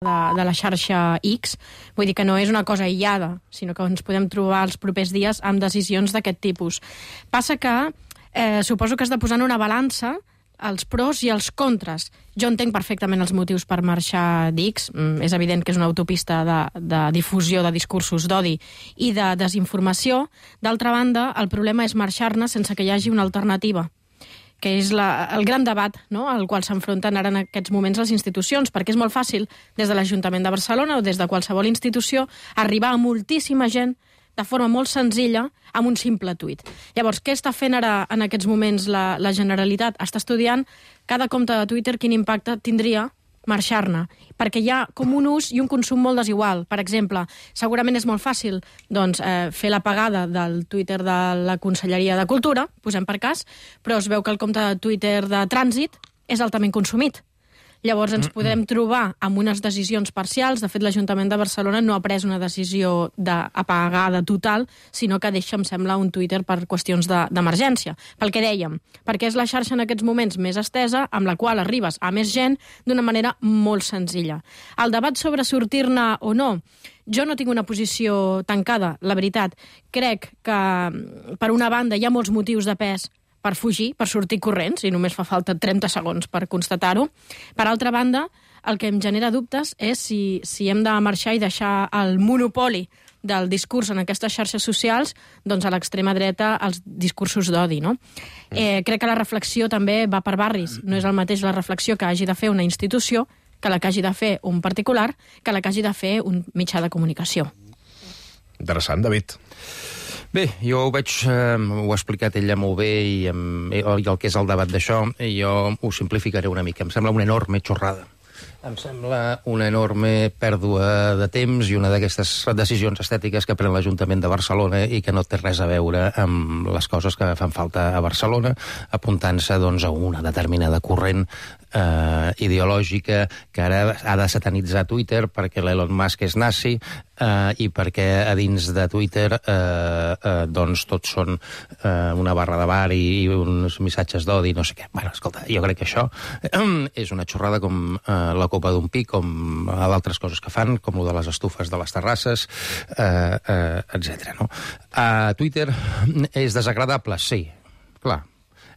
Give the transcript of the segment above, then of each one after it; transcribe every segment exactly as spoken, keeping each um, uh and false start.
de, de la xarxa X, vull dir que no és una cosa aïllada, sinó que ens podem trobar els propers dies amb decisions d'aquest tipus. Passa que eh, suposo que has de posar en una balança els pros i els contres. Jo entenc perfectament els motius per marxar d'X. Mm, és evident que és una autopista de, de difusió de discursos d'odi i de desinformació. D'altra banda, el problema és marxar-ne sense que hi hagi una alternativa, que és la, el gran debat, no?, al qual s'enfronten ara en aquests moments les institucions, perquè és molt fàcil, des de l'Ajuntament de Barcelona o des de qualsevol institució, arribar a moltíssima gent de forma molt senzilla amb un simple tuit. Llavors, què està fent ara en aquests moments la, la Generalitat? Està estudiant cada compte de Twitter quin impacte tindria marxar-ne, perquè hi ha com un ús i un consum molt desigual. Per exemple, segurament és molt fàcil doncs, eh, fer l'apagada del Twitter de la Conselleria de Cultura, posem per cas, però es veu que el compte de Twitter de Trànsit és altament consumit. Llavors ens podem trobar amb unes decisions parcials. De fet, l'Ajuntament de Barcelona no ha pres una decisió d'apagada total, sinó que deixa, em sembla, un Twitter per qüestions d'emergència. De, pel que dèiem, perquè és la xarxa en aquests moments més estesa, amb la qual arribes a més gent d'una manera molt senzilla. El debat sobre sortir-ne o no, jo no tinc una posició tancada, la veritat. Crec que, per una banda, hi ha molts motius de pes per fugir, per sortir corrents, i només fa falta trenta segons per constatar-ho. Per altra banda, el que em genera dubtes és si, si hem de marxar i deixar el monopoli del discurs en aquestes xarxes socials doncs a l'extrema dreta els discursos d'odi, no? Eh, crec que la reflexió també va per barris. No és el mateix la reflexió que hagi de fer una institució que la que hagi de fer un particular, que la que hagi de fer un mitjà de comunicació. Interessant, David. Bé, jo ho veig, eh, ho ha explicat ella molt bé i, i el que és el debat d'això, jo ho simplificaré una mica. Em sembla una enorme xorrada. Em sembla una enorme pèrdua de temps i una d'aquestes decisions estètiques que pren l'Ajuntament de Barcelona i que no té res a veure amb les coses que fan falta a Barcelona, apuntant-se doncs, a una determinada corrent eh, ideològica que ara ha de satanitzar Twitter perquè l'Elon Musk és nazi eh, i perquè a dins de Twitter eh, eh, doncs tots són eh, una barra de bar i, i uns missatges d'odi, no sé què. Bueno, escolta, jo crec que això eh, és una xorrada com eh, la copa d'un pi, com d'altres coses que fan, com lo de les estufes de les terrasses, eh, eh, etcètera. No? A Twitter és desagradable? Sí, clar.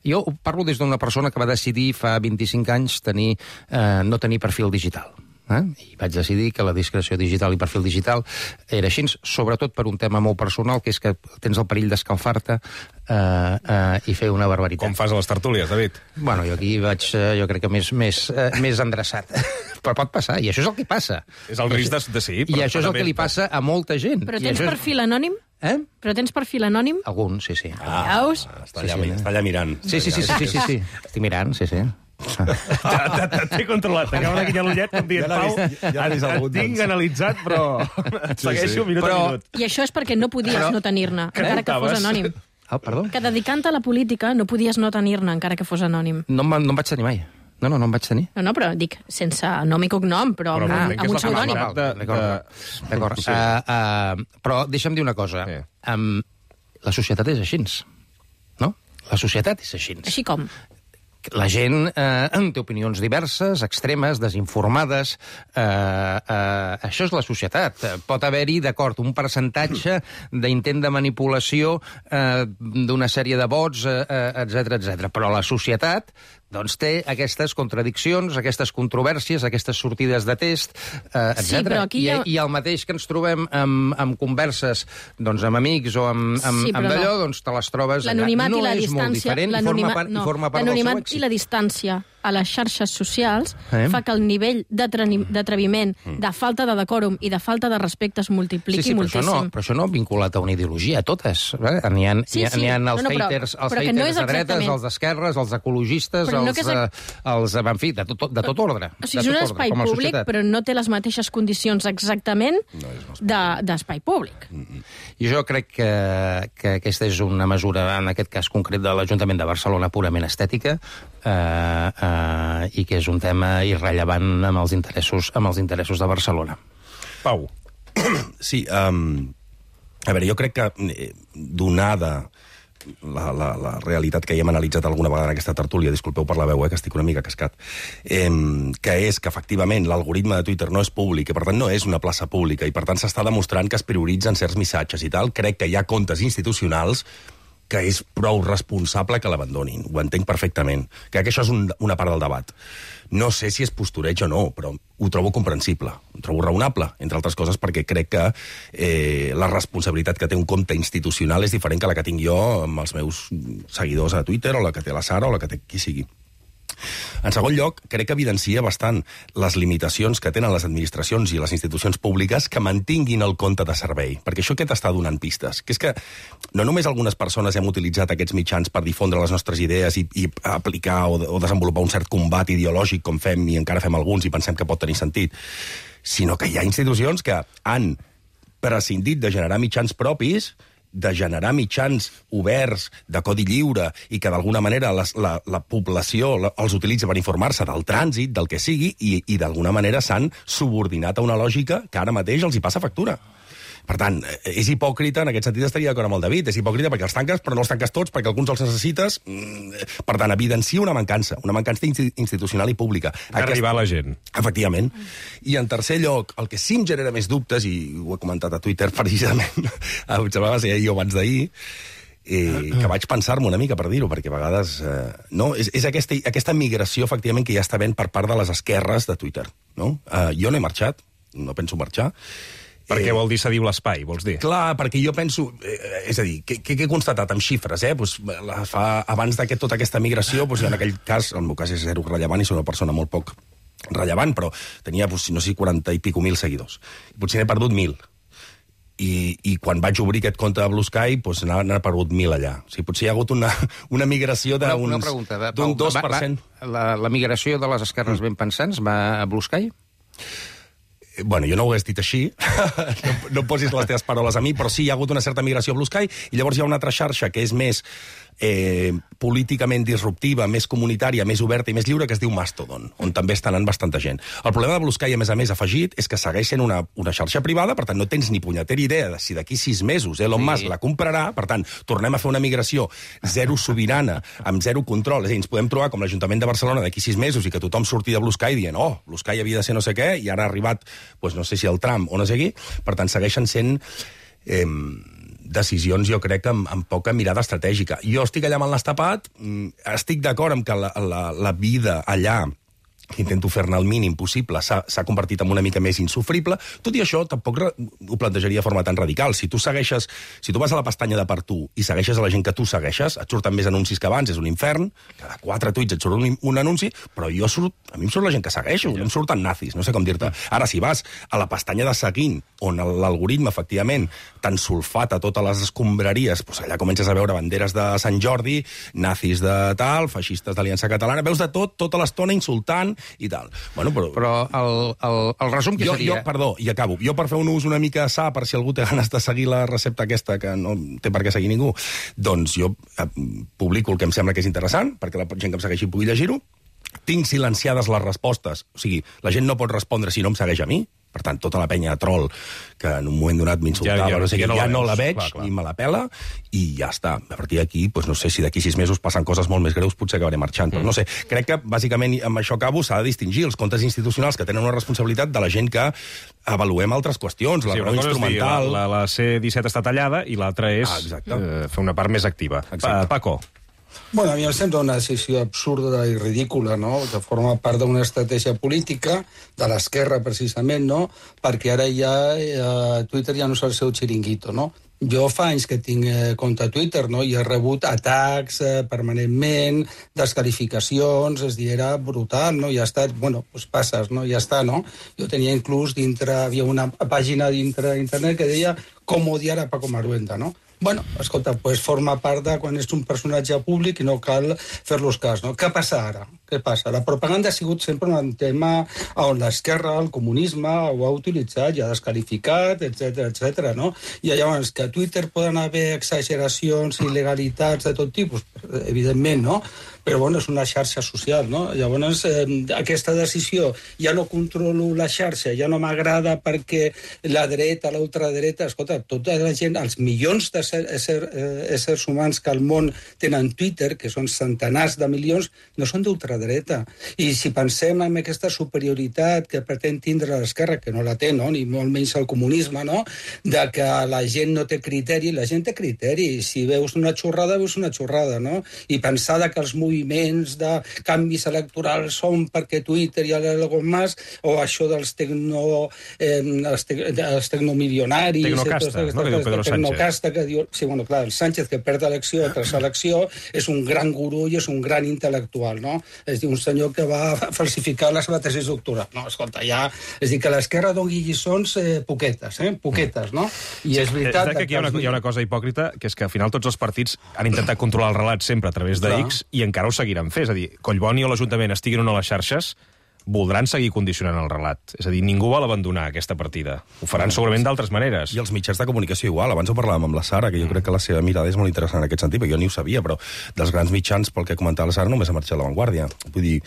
Jo parlo des d'una persona que va decidir fa vint-i-cinc anys tenir, eh, no tenir perfil digital. Eh? I vaig decidir que la discreció digital i perfil digital era així, sobretot per un tema molt personal, que és que tens el perill d'escalfar-te eh, eh, i fer una barbaritat. Com fas a les tertúlies, David? Bueno, jo aquí vaig, jo crec que més, més, eh, més endreçat. Però pot passar, i això és el que passa. És el risc de, de sí. I això és el que li passa a molta gent. Però tens és... perfil anònim? Eh? Però tens perfil anònim? Algun, sí, sí. Ah, Veus? està, allà, sí, sí. està allà mirant. Sí, sí, sí, sí, sí, sí, sí. Estic mirant, sí, sí. T'he controlat, t'acaba de guinyar l'ullet com dient, Pau, ja et tinc analitzat, però et segueixo minut a minut. I això és perquè no podies Però... no tenir-ne, encara que fos anònim. Ah, perdó? Que dedicant-te a la política no podies no tenir-ne, encara que fos anònim. No, no em vaig tenir mai. No, no, no em vaig tenir. No, no, però dic, sense nom i cognom, però, però amb, amb un pseudònim. D'acord. Uh, uh, però deixa'm dir una cosa. Sí. Um, la societat és així, no? La societat és així. Així com? La gent eh, té opinions diverses, extremes, desinformades. Eh, eh, això és la societat. Pot haver-hi, d'acord, un percentatge d'intent de manipulació eh, d'una sèrie de vots, eh, etcètera, etcètera. Però la societat doncs té aquestes contradiccions, aquestes controvèrsies, aquestes sortides de test, eh, etcètera. Sí, I, ha... I el mateix que ens trobem amb, amb converses doncs, amb amics o amb, amb, sí, amb d'allò, no. doncs te les trobes allà. No i la és distància, molt diferent i forma part, no, i forma part del seu èxit. I la distància a les xarxes socials eh? fa que el nivell d'atreviment, mm. de falta de decòrum i de falta de respecte es multipliqui sí, sí, però moltíssim. Això no, però això no vinculat a una ideologia, a totes. Eh? N'hi ha, sí, sí. ha els no, no, haters, els haters no de dretes, els d'esquerres, els ecologistes, però els, no eh, els, en fi, de tot, de tot ordre. O sigui, és un espai ordre, públic, però no té les mateixes condicions exactament no d'espai de, públic. Mm -hmm. I jo crec que, que aquesta és una mesura, en aquest cas concret de l'Ajuntament de Barcelona, purament estètica, eh, eh, Uh, i que és un tema irrellevant amb els interessos, amb els interessos de Barcelona. Pau. Sí, um, a veure, jo crec que, donada la, la, la realitat que ja hem analitzat alguna vegada en aquesta tertúlia, disculpeu per la veu, eh, que estic una mica cascat, eh, que és que efectivament l'algoritme de Twitter no és públic i per tant no és una plaça pública i per tant s'està demostrant que es prioritzen certs missatges i tal. Crec que hi ha comptes institucionals que és prou responsable que l'abandonin. Ho entenc perfectament. Crec que això és un, una part del debat. No sé si és postureig o no, però ho trobo comprensible, ho trobo raonable, entre altres coses perquè crec que eh, la responsabilitat que té un compte institucional és diferent que la que tinc jo amb els meus seguidors a Twitter o la que té la Sara o la que té qui sigui. En segon lloc, crec que evidencia bastant les limitacions que tenen les administracions i les institucions públiques que mantinguin el compte de servei, perquè això què t'està donant pistes? Que és que no només algunes persones hem utilitzat aquests mitjans per difondre les nostres idees i, i aplicar o, o desenvolupar un cert combat ideològic com fem i encara fem alguns i pensem que pot tenir sentit, sinó que hi ha institucions que han prescindit de generar mitjans propis, de generar mitjans oberts, de codi lliure, i que d'alguna manera les, la, la població la, els utilitza per informar-se del trànsit, del que sigui, i, i d'alguna manera s'han subordinat a una lògica que ara mateix els hi passa factura. Per tant, és hipòcrita, en aquest sentit estaria d'acord amb el David, és hipòcrita perquè els tanques, però no els tanques tots, perquè alguns els necessites. Per tant, evidencia una mancança, una mancança institucional i pública. Arribar a la gent. Efectivament. I en tercer lloc, el que sí em genera més dubtes, i ho he comentat a Twitter precisament, em semblava ser jo abans d'ahir, Eh, que vaig pensar-me una mica per dir-ho, perquè a vegades eh, no, és, és aquesta, aquesta migració efectivament que ja està havent per part de les esquerres de Twitter, no? Eh, jo no he marxat, no penso marxar. Per què vol dir cedir l'espai, vols dir? Clar, perquè jo penso... Eh, és a dir, què he constatat amb xifres, eh? Pues, la, fa, abans de tota aquesta migració, pues, en aquell cas, en el meu cas és zero rellevant i soc una persona molt poc rellevant, però tenia, pues, no sé, quaranta i pico mil seguidors. Potser n'he perdut mil. I, i quan vaig obrir aquest compte de Blue Sky, doncs n'ha perdut mil allà. O sigui, potser hi ha hagut una, una migració d'un dos per cent. Va, va, la, la migració de les esquerres ben pensants va a Blue Sky? Bueno, jo no ho hagués dit així, no, no posis les teves paraules a mi, però sí, hi ha hagut una certa migració a Blue Sky, i llavors hi ha una altra xarxa que és més eh, políticament disruptiva, més comunitària, més oberta i més lliure, que es diu Mastodon, on també està anant bastanta gent. El problema de Blue Sky, a més a més, afegit, és que segueix sent una, una xarxa privada, per tant, no tens ni punyetera idea de si d'aquí sis mesos Elon sí. Musk la comprarà, per tant, tornem a fer una migració zero sobirana, amb zero control, és a dir, ens podem trobar com l'Ajuntament de Barcelona d'aquí sis mesos i que tothom surti de Blue Sky dient, oh, Blue Sky havia de ser no sé què, i ara ha arribat, doncs no sé si el Trump o no sé qui, per tant, segueixen sent... Eh, decisions, jo crec, amb, amb poca mirada estratègica. Jo estic allà amb el nas tapat, estic d'acord amb que la, la, la vida allà, que intento fer-ne el mínim possible, s'ha convertit en una mica més insufrible. Tot i això, tampoc ho plantejaria de forma tan radical. Si tu segueixes, si tu vas a la pestanya de per tu i segueixes a la gent que tu segueixes, et surten més anuncis que abans, és un infern, cada quatre tuits et surt un, un anunci, però jo surt, a mi em surt la gent que segueixo, no em surten nazis, no sé com dir-te. Ara, si vas a la pestanya de seguint, on l'algoritme, efectivament, t'han sulfat a totes les escombraries, doncs allà comences a veure banderes de Sant Jordi, nazis de tal, feixistes d'Aliança Catalana, veus de tot, tota l'estona insultant, i tal. Bueno, però... Però el, el, el resum que jo, seria... Jo, perdó, i acabo. Jo, per fer un ús una mica sa, per si algú té ganes de seguir la recepta aquesta, que no té per què seguir ningú, doncs jo eh, publico el que em sembla que és interessant, perquè la gent que em segueixi pugui llegir-ho. Tinc silenciades les respostes. O sigui, la gent no pot respondre si no em segueix a mi. Per tant, tota la penya de troll que en un moment donat m'insultava, ja, ja, no sé, ja, no, ja no la veig, clar, clar. Ni me la pela, i ja està. A partir d'aquí, doncs no sé si d'aquí sis mesos passen coses molt més greus, potser acabaré marxant. Mm. Però no sé, crec que, bàsicament, amb això acabo, s'ha de distingir els comptes institucionals que tenen una responsabilitat de la gent que avaluem altres qüestions, la sí, raó instrumental... Dir, la, la C disset està tallada i l'altra és ah, eh, fer una part més activa. Exacte. Paco. Bueno, a mi em sembla una decisió absurda i ridícula, no?, que forma part d'una estratègia política de l'esquerra, precisament, no?, perquè ara ja eh, Twitter ja no és el seu xiringuito, no? Jo fa anys que tinc eh, compte a Twitter, no?, i he rebut atacs eh, permanentment, descalificacions, és dir, era brutal, no?, i ja està, bueno, doncs passes, no?, ja està, no? Jo tenia inclús dintre, havia una pàgina dintre d'internet que deia com odiar a Paco Maruenda, no? Bueno, escolta, pues forma part de quan és un personatge públic i no cal fer-los cas, no? Què passa ara? Què passa? La propaganda ha sigut sempre un tema on l'esquerra, el comunisme, ho ha utilitzat i ha descalificat, etcètera, etcètera, no? I llavors, que a Twitter poden haver exageracions i il·legalitats de tot tipus, evidentment, no? però bueno, és una xarxa social, no? Llavors, eh, aquesta decisió, ja no controlo la xarxa, ja no m'agrada perquè la dreta, la ultradreta, escolta, tota la gent, els milions de ser, ésser, eh, éssers humans que al món tenen Twitter, que són centenars de milions, no són d'ultradreta. I si pensem en aquesta superioritat que pretén tindre l'esquerra, que no la té, no? Ni molt menys el comunisme, no? De que la gent no té criteri, la gent té criteri. Si veus una xorrada, veus una xorrada, no? I pensar que els moviments de canvis electorals són perquè Twitter i Elon Musk, o això dels tecno, eh, els, te, els tecnomilionaris... Tecnocasta, no? Que diu Pedro Sánchez. Tecnocasta, que diu... Sí, bueno, clar, el Sánchez, que perd elecció tras elecció, és un gran gurú i és un gran intel·lectual, no? És dir, un senyor que va falsificar la seva tesi doctoral. No, escolta, ja... És dir, que l'esquerra doni lliçons eh, poquetes, eh? Poquetes, no? I és veritat... És que aquí hi ha, una, hi ha una cosa hipòcrita, que és que al final tots els partits han intentat controlar el relat sempre a través de X i encara ho seguiran fent. És a dir, Collboni o l'Ajuntament estiguin o no a les xarxes, voldran seguir condicionant el relat. És a dir, ningú vol abandonar aquesta partida. Ho faran segurament d'altres maneres. I els mitjans de comunicació igual. Abans ho parlàvem amb la Sara, que jo crec que la seva mirada és molt interessant en aquest sentit, perquè jo ni ho sabia, però dels grans mitjans, pel que comentava la Sara, només ha marxat La Vanguardia. Vull dir,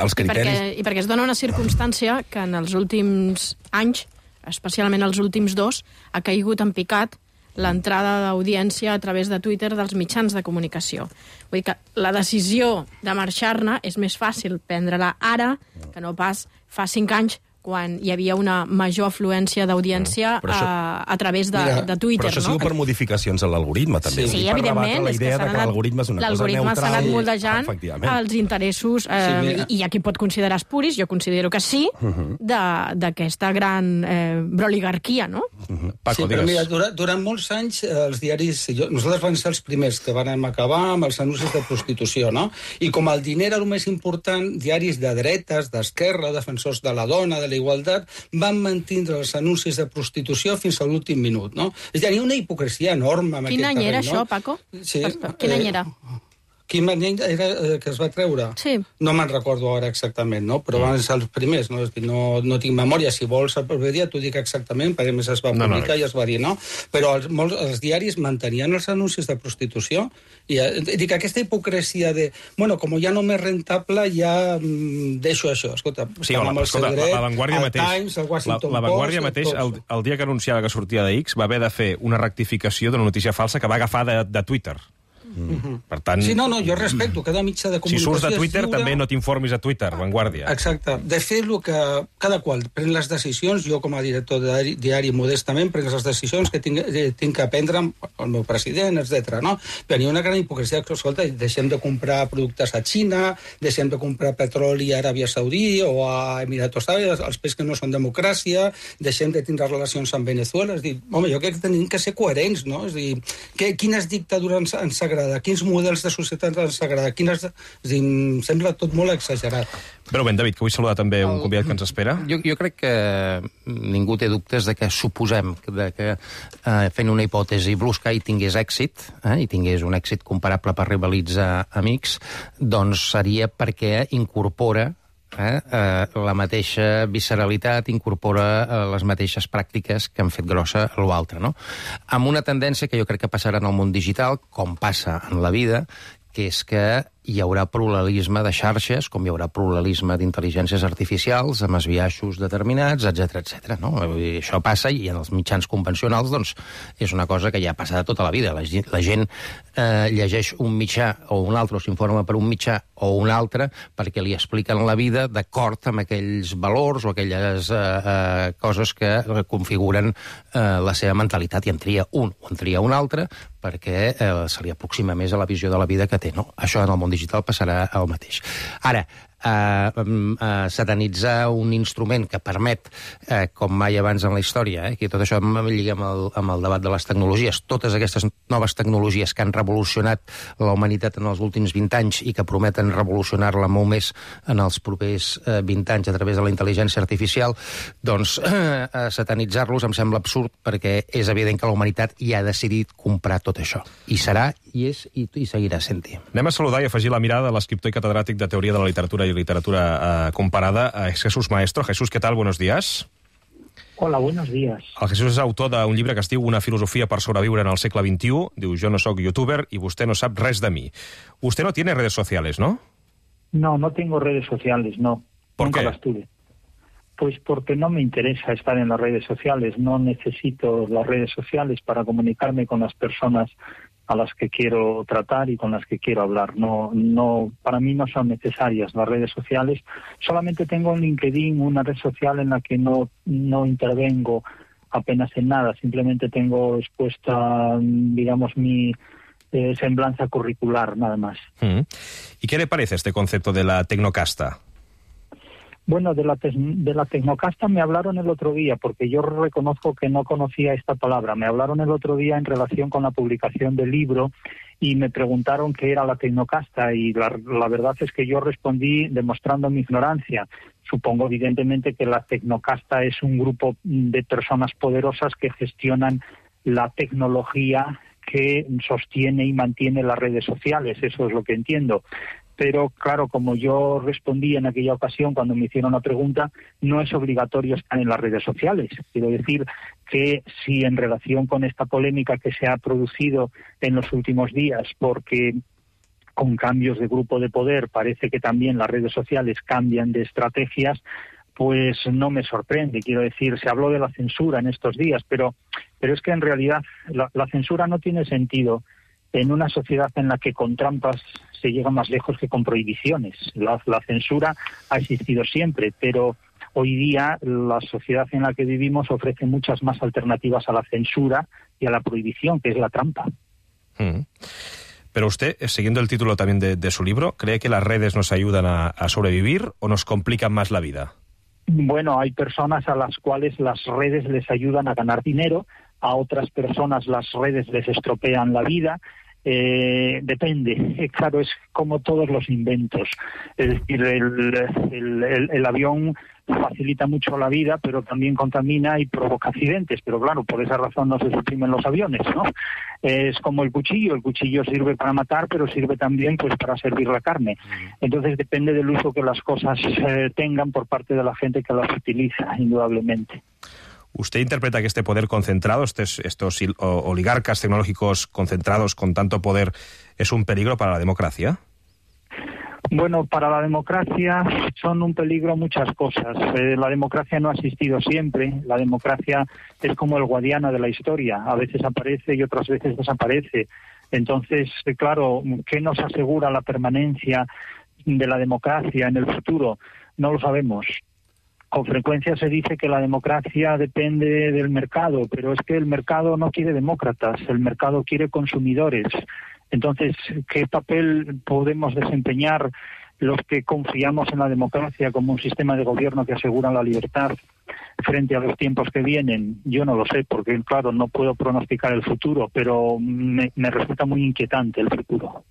els criteris... I perquè, i perquè es dona una circumstància que en els últims anys, especialment els últims dos, ha caigut en picat l'entrada d'audiència a través de Twitter dels mitjans de comunicació. Vull dir que la decisió de marxar-ne és més fàcil prendre-la ara que no pas fa cinc anys, quan hi havia una major afluència d'audiència Però això- a, a través de, Mira, de Twitter, Però això ha no? sigut per modificacions en l'algoritme, també. Sí, Vull dir, Sí, per evidentment. rebatre la és que idea s'ha de que anat- l'algoritme és una cosa l'algoritme s'ha anat neutral. moldejant Efectivament. els interessos, eh, Sí, mira. i hi ha qui pot considerar espuris, jo considero que sí, de- d'aquesta gran eh, broligarquia, no? Paco, sí, però digues. mira, durant, durant molts anys eh, els diaris... Jo, nosaltres vam ser els primers que vam acabar amb els anuncis de prostitució, no? I com el diner era el més important, diaris de dretes, d'esquerra, defensors de la dona, de la igualtat, van mantindre els anuncis de prostitució fins a l'últim minut, no? És a dir, hi ha una hipocresia enorme en Quin aquest any era terreny, això, no? Paco? Sí, Quin any eh, era? Quin any era eh, que es va treure? Sí. No me'n recordo ara exactament, no? Però van ser els primers, no? És dir, no, no tinc memòria. Si vols el proper dia t'ho dic exactament, perquè a més es va No, no, publicar no. i es va dir, no? Però els, molts, els diaris mantenien els anuncis de prostitució i eh, dic, aquesta hipocresia de, bueno, com ja no m'és rentable, ja mm, deixo això. Escolta, Sí, hola, amb el escolta, seu dret, la, la Vanguardia el mateix, Times, el la, Washington la Vanguardia Post, mateix, el, tots. el dia que anunciava que sortia de X, va haver de fer una rectificació d'una notícia falsa que va agafar de, de Twitter. Mm. Per tant, Sí, no, no, jo respecto, cada mitjà de si comunicació surts de és Twitter, lliure. també no t'informis a Twitter, Vanguardia. Exacte. De fet, el que cada qual pren les decisions, jo com a director de diari, diari modestament prenc les decisions que tinc, eh, tinc que prendre amb el meu president, etcètera. No? Però hi ha una gran hipocresia que, escolta, deixem de comprar productes a Xina, deixem de comprar petroli a Aràbia Saudí o a Emiratos Árabes, els països que no són democràcia, deixem de tindre relacions amb Venezuela. És dir, home, jo crec que tenim que ser coherents, no? És dir, que, quines dictadures ens, ens agrada, quins models de societat ens agrada, quines... És dir, em sembla tot molt exagerat. Però ben, David, que vull saludar també un convidat que ens espera. Jo, jo crec que ningú té dubtes de que suposem que, de que eh, fent una hipòtesi Blue Sky tingués èxit, eh, i tingués un èxit comparable per rivalitzar amics, doncs seria perquè incorpora Eh, eh, la mateixa visceralitat, incorpora eh, les mateixes pràctiques que han fet grossa l'altre, no? Amb una tendència que jo crec que passarà en el món digital, com passa en la vida, que és que hi haurà pluralisme de xarxes, com hi haurà pluralisme d'intel·ligències artificials, amb esbiaixos determinats, etcètera, etcètera. No? I això passa, i en els mitjans convencionals doncs, és una cosa que ja passa de tota la vida. La gent, la gent eh, llegeix un mitjà o un altre, o s'informa per un mitjà o un altre, perquè li expliquen la vida d'acord amb aquells valors o aquelles eh, eh, coses que configuren eh, la seva mentalitat, i en tria un o en tria un altre, perquè eh, se li aproxima més a la visió de la vida que té. No? Això en el món digital passarà el mateix. Ara, eh, eh, satanitzar un instrument que permet, eh, com mai abans en la història, eh, que tot això em lliga amb el, amb el debat de les tecnologies, totes aquestes noves tecnologies que han revolucionat la humanitat en els últims vint anys i que prometen revolucionar-la molt més en els propers eh, vint anys a través de la intel·ligència artificial, doncs eh, satanitzar-los em sembla absurd, perquè és evident que la humanitat ja ha decidit comprar tot això. I serà, i és, i, i seguirà sent-hi. Anem a saludar i afegir la mirada de l'escriptor i catedràtic de Teoria de la Literatura i Literatura eh, Comparada, a Jesús Maestro. Jesús, ¿qué tal? Buenos días. Hola, buenos días. El Jesús és autor d'un llibre que es diu Una filosofia per sobreviure en el segle veintiuno. Diu, jo no soc youtuber y usted no sap res de mí. Usted no tiene redes sociales, ¿no? No, no tengo redes sociales, no. ¿Por Nunca qué? las tuve. Pues porque no me interesa estar en las redes sociales. No necesito las redes sociales para comunicarme con las personas a las que quiero tratar y con las que quiero hablar. No, no, para mí no son necesarias las redes sociales. Solamente tengo en LinkedIn una red social en la que no, no intervengo apenas en nada. Simplemente tengo expuesta, digamos, mi eh, semblanza curricular, nada más. Mm. ¿Y qué le parece este concepto de la tecnocasta? Bueno, de la, te de la tecnocasta me hablaron el otro día, porque yo reconozco que no conocía esta palabra. Me hablaron el otro día en relación con la publicación del libro y me preguntaron qué era la tecnocasta y la, la verdad es que yo respondí demostrando mi ignorancia. Supongo evidentemente que la tecnocasta es un grupo de personas poderosas que gestionan la tecnología que sostiene y mantiene las redes sociales. Eso es lo que entiendo. Pero, claro, como yo respondí en aquella ocasión cuando me hicieron la pregunta, no es obligatorio estar en las redes sociales. Quiero decir que si en relación con esta polémica que se ha producido en los últimos días, porque con cambios de grupo de poder parece que también las redes sociales cambian de estrategias, pues no me sorprende. Quiero decir, se habló de la censura en estos días, pero, pero es que en realidad la, la censura no tiene sentido en una sociedad en la que con trampas se llega más lejos que con prohibiciones. La, la censura ha existido siempre, pero hoy día la sociedad en la que vivimos ofrece muchas más alternativas a la censura y a la prohibición, que es la trampa. Mm. Pero usted, siguiendo el título también de, de su libro, ¿cree que las redes nos ayudan a, a sobrevivir o nos complican más la vida? Bueno, hay personas a las cuales las redes les ayudan a ganar dinero, a otras personas las redes les estropean la vida. Eh, depende, eh, claro, es como todos los inventos. Es decir, el, el, el, el avión facilita mucho la vida, pero también contamina y provoca accidentes. Pero claro, por esa razón no se suprimen los aviones, ¿no? Es como el cuchillo. El cuchillo sirve para matar, pero sirve también pues para servir la carne. Entonces depende del uso que las cosas eh, tengan por parte de la gente que las utiliza, indudablemente. ¿Usted interpreta que este poder concentrado, estos, estos oligarcas tecnológicos concentrados con tanto poder, es un peligro para la democracia? Bueno, para la democracia son un peligro muchas cosas. Eh, la democracia no ha existido siempre. La democracia es como el guadiana de la historia. A veces aparece y otras veces desaparece. Entonces, eh, claro, ¿qué nos asegura la permanencia de la democracia en el futuro? No lo sabemos. Con frecuencia se dice que la democracia depende del mercado, pero es que el mercado no quiere demócratas, el mercado quiere consumidores. Entonces, ¿qué papel podemos desempeñar los que confiamos en la democracia como un sistema de gobierno que asegura la libertad frente a los tiempos que vienen? Yo no lo sé, porque, claro, no puedo pronosticar el futuro, pero me, me resulta muy inquietante el futuro.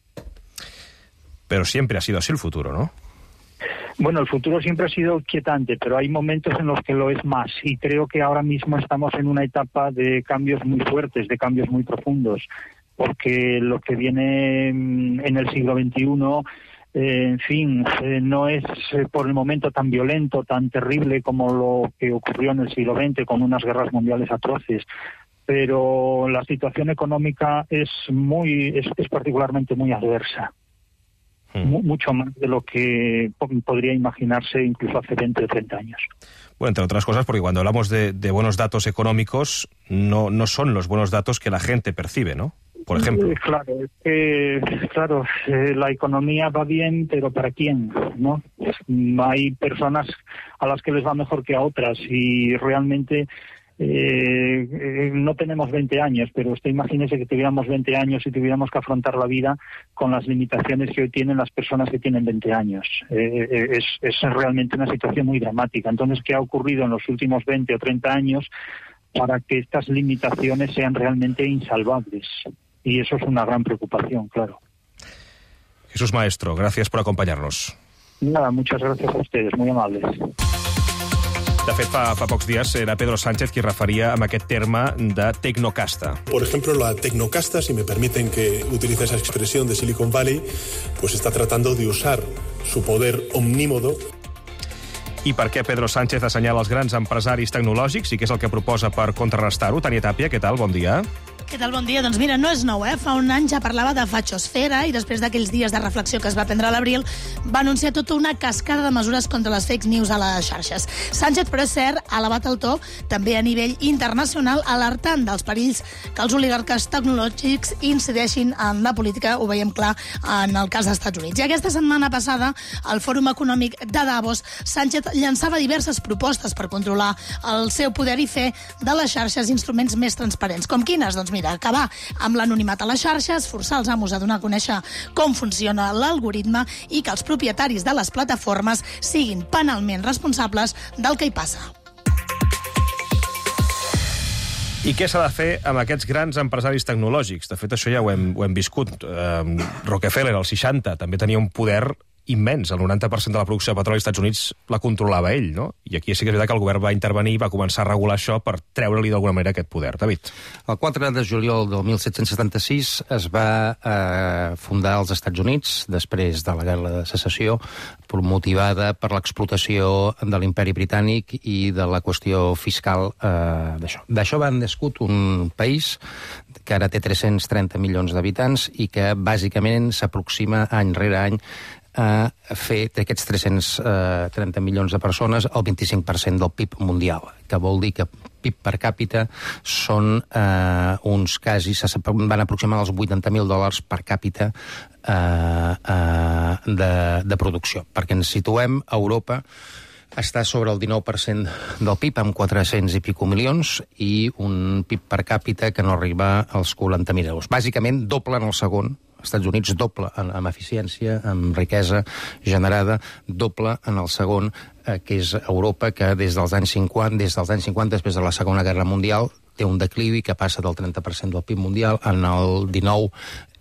Pero siempre ha sido así el futuro, ¿no? Bueno, el futuro siempre ha sido inquietante, pero hay momentos en los que lo es más y creo que ahora mismo estamos en una etapa de cambios muy fuertes, de cambios muy profundos, porque lo que viene en el siglo veintiuno, eh, en fin, eh, no es eh, por el momento tan violento, tan terrible como lo que ocurrió en el siglo veinte con unas guerras mundiales atroces, pero la situación económica es muy, es, es particularmente muy adversa. Mucho más de lo que podría imaginarse incluso hace veinte o treinta años. Bueno, entre otras cosas, porque cuando hablamos de, de buenos datos económicos, no, no son los buenos datos que la gente percibe, ¿no? Por ejemplo. Eh, claro, eh, claro eh, la economía va bien, pero ¿para quién? ¿No? Hay personas a las que les va mejor que a otras y realmente... Eh, eh, no tenemos veinte años, pero usted imagínese que tuviéramos veinte años y tuviéramos que afrontar la vida con las limitaciones que hoy tienen las personas que tienen veinte años. Eh, eh, es, es realmente una situación muy dramática. Entonces, ¿qué ha ocurrido en los últimos veinte o treinta años para que estas limitaciones sean realmente insalvables? Y eso es una gran preocupación, claro. Jesús Maestro, gracias por acompañarnos. Nada, muchas gracias a ustedes, muy amables. De fet, fa, fa pocs días era Pedro Sánchez qui referia amb aquest terme de tecnocasta. Por ejemplo, la tecnocasta, si me permiten que utilice esa expresión de Silicon Valley, pues está tratando de usar su poder omnímodo. I per què Pedro Sánchez assenyala els grans empresaris tecnològics i què és el que proposa per contrarrestar-ho? Tània Tàpia, què tal? Bon dia. Què tal? Bon dia. Doncs mira, no és nou, eh? Fa un any ja parlava de fachosfera i després d'aquells dies de reflexió que es va prendre a l'abril va anunciar tota una cascada de mesures contra les fake news a les xarxes. Sánchez, però és cert, ha elevat el to també a nivell internacional, alertant dels perills que els oligarques tecnològics incideixin en la política, ho veiem clar en el cas dels Estats Units. I aquesta setmana passada, al Fòrum Econòmic de Davos, Sánchez llançava diverses propostes per controlar el seu poder i fer de les xarxes instruments més transparents. Com quines? Doncs mira, acabar amb l'anonimat a les xarxes, forçar els amos a donar a conèixer com funciona l'algoritme i que els propietaris de les plataformes siguin penalment responsables del que hi passa. I què s'ha de fer amb aquests grans empresaris tecnològics? De fet, això ja ho hem, ho hem viscut. Eh, Rockefeller, als seixanta, també tenia un poder immens. El noranta per cent de la producció de petroli als Estats Units la controlava ell, no? I aquí sí que és veritat que el govern va intervenir i va començar a regular això per treure-li d'alguna manera aquest poder. David. El quatre de juliol del disset setanta-sis es va eh, fundar als Estats Units, després de la Guerra de Secessió, motivada per l'explotació de l'imperi britànic i de la qüestió fiscal eh, d'això. D'això va nascut un país que ara té tres-cents trenta milions d'habitants i que bàsicament s'aproxima any rere any a fer d'aquests tres-cents trenta milions de persones el vint-i-cinc per cent del P I B mundial, que vol dir que P I B per càpita són eh, uns quasi, van aproximar els vuitanta mil dòlars per càpita eh, eh, de, de producció. Perquè ens situem a Europa, està sobre el dinou per cent del P I B, amb quatre-cents i pico milions, i un P I B per càpita que no arriba als quaranta mil euros. Bàsicament, doble en el segon. Estats Units doble en, en eficiència, en riquesa generada, doble en el segon, eh, que és Europa, que des dels anys cinquanta, des dels anys cinquanta, després de la Segona Guerra Mundial, té un declivi que passa del trenta per cent del P I B mundial en el dinou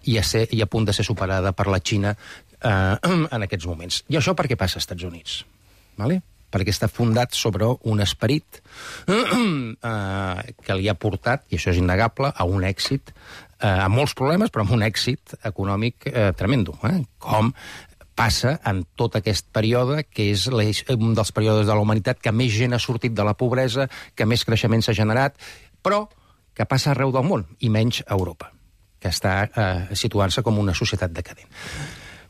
i a, ser, i a punt de ser superada per la Xina eh, en aquests moments. I això per què passa als Estats Units? Vale? Perquè està fundat sobre un esperit eh, que li ha portat, i això és innegable, a un èxit, eh, amb molts problemes, però amb un èxit econòmic eh, tremendo, eh? Com passa en tot aquest període, que és un dels períodes de la humanitat que més gent ha sortit de la pobresa, que més creixement s'ha generat, però que passa arreu del món, i menys a Europa, que està eh, situant-se com una societat decadent.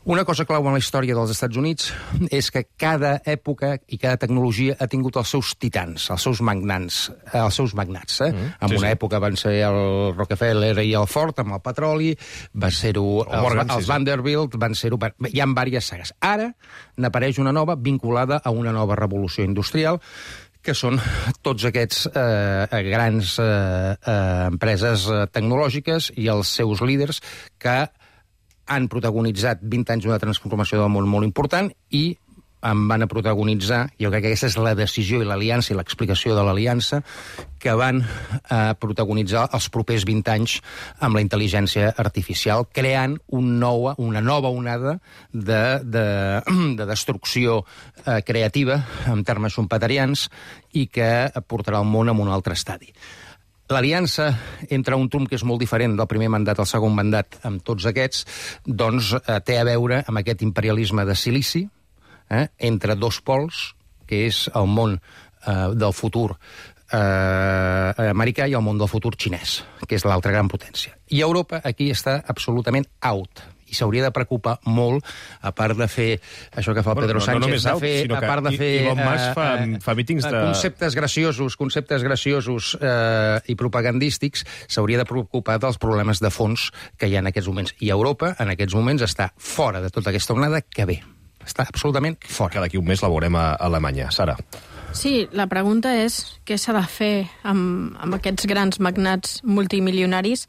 Una cosa clau en la història dels Estats Units és que cada època i cada tecnologia ha tingut els seus titans, els seus magnats, els seus magnats. Eh? Mm, en sí, una sí. època van ser el Rockefeller i el Ford amb el petroli, va ser-ho els, Morgan, els sí, Vanderbilt, van ser-ho... Hi ha diverses sagues. Ara n'apareix una nova vinculada a una nova revolució industrial, que són tots aquests eh, grans eh, eh, empreses tecnològiques i els seus líders que han protagonitzat vint anys d'una transformació del món molt important i em van a protagonitzar, jo crec que aquesta és la decisió i l'aliança i l'explicació de l'aliança, que van a protagonitzar els propers vint anys amb la intel·ligència artificial, creant un nova, una nova onada de, de, de destrucció eh, creativa, en termes schumpeterians, i que portarà el món a un altre estadi. L'aliança entre un Trump que és molt diferent del primer mandat al segon mandat amb tots aquests, doncs eh, té a veure amb aquest imperialisme de silici eh, entre dos pols, que és el món eh, del futur eh, americà i el món del futur xinès, que és l'altra gran potència. I Europa aquí està absolutament out. I s'hauria de preocupar molt, a part de fer això que fa el Pedro Sánchez, no, no, no out, de fer, a part de fer Elon Musk fa, uh, fa mítings de... conceptes graciosos, conceptes graciosos uh, i propagandístics, s'hauria de preocupar dels problemes de fons que hi ha en aquests moments. I Europa, en aquests moments, està fora de tota aquesta onada que ve. Està absolutament fora. Que d'aquí un mes la veurem a Alemanya. Sara. Sí, la pregunta és què s'ha de fer amb, amb aquests grans magnats multimilionaris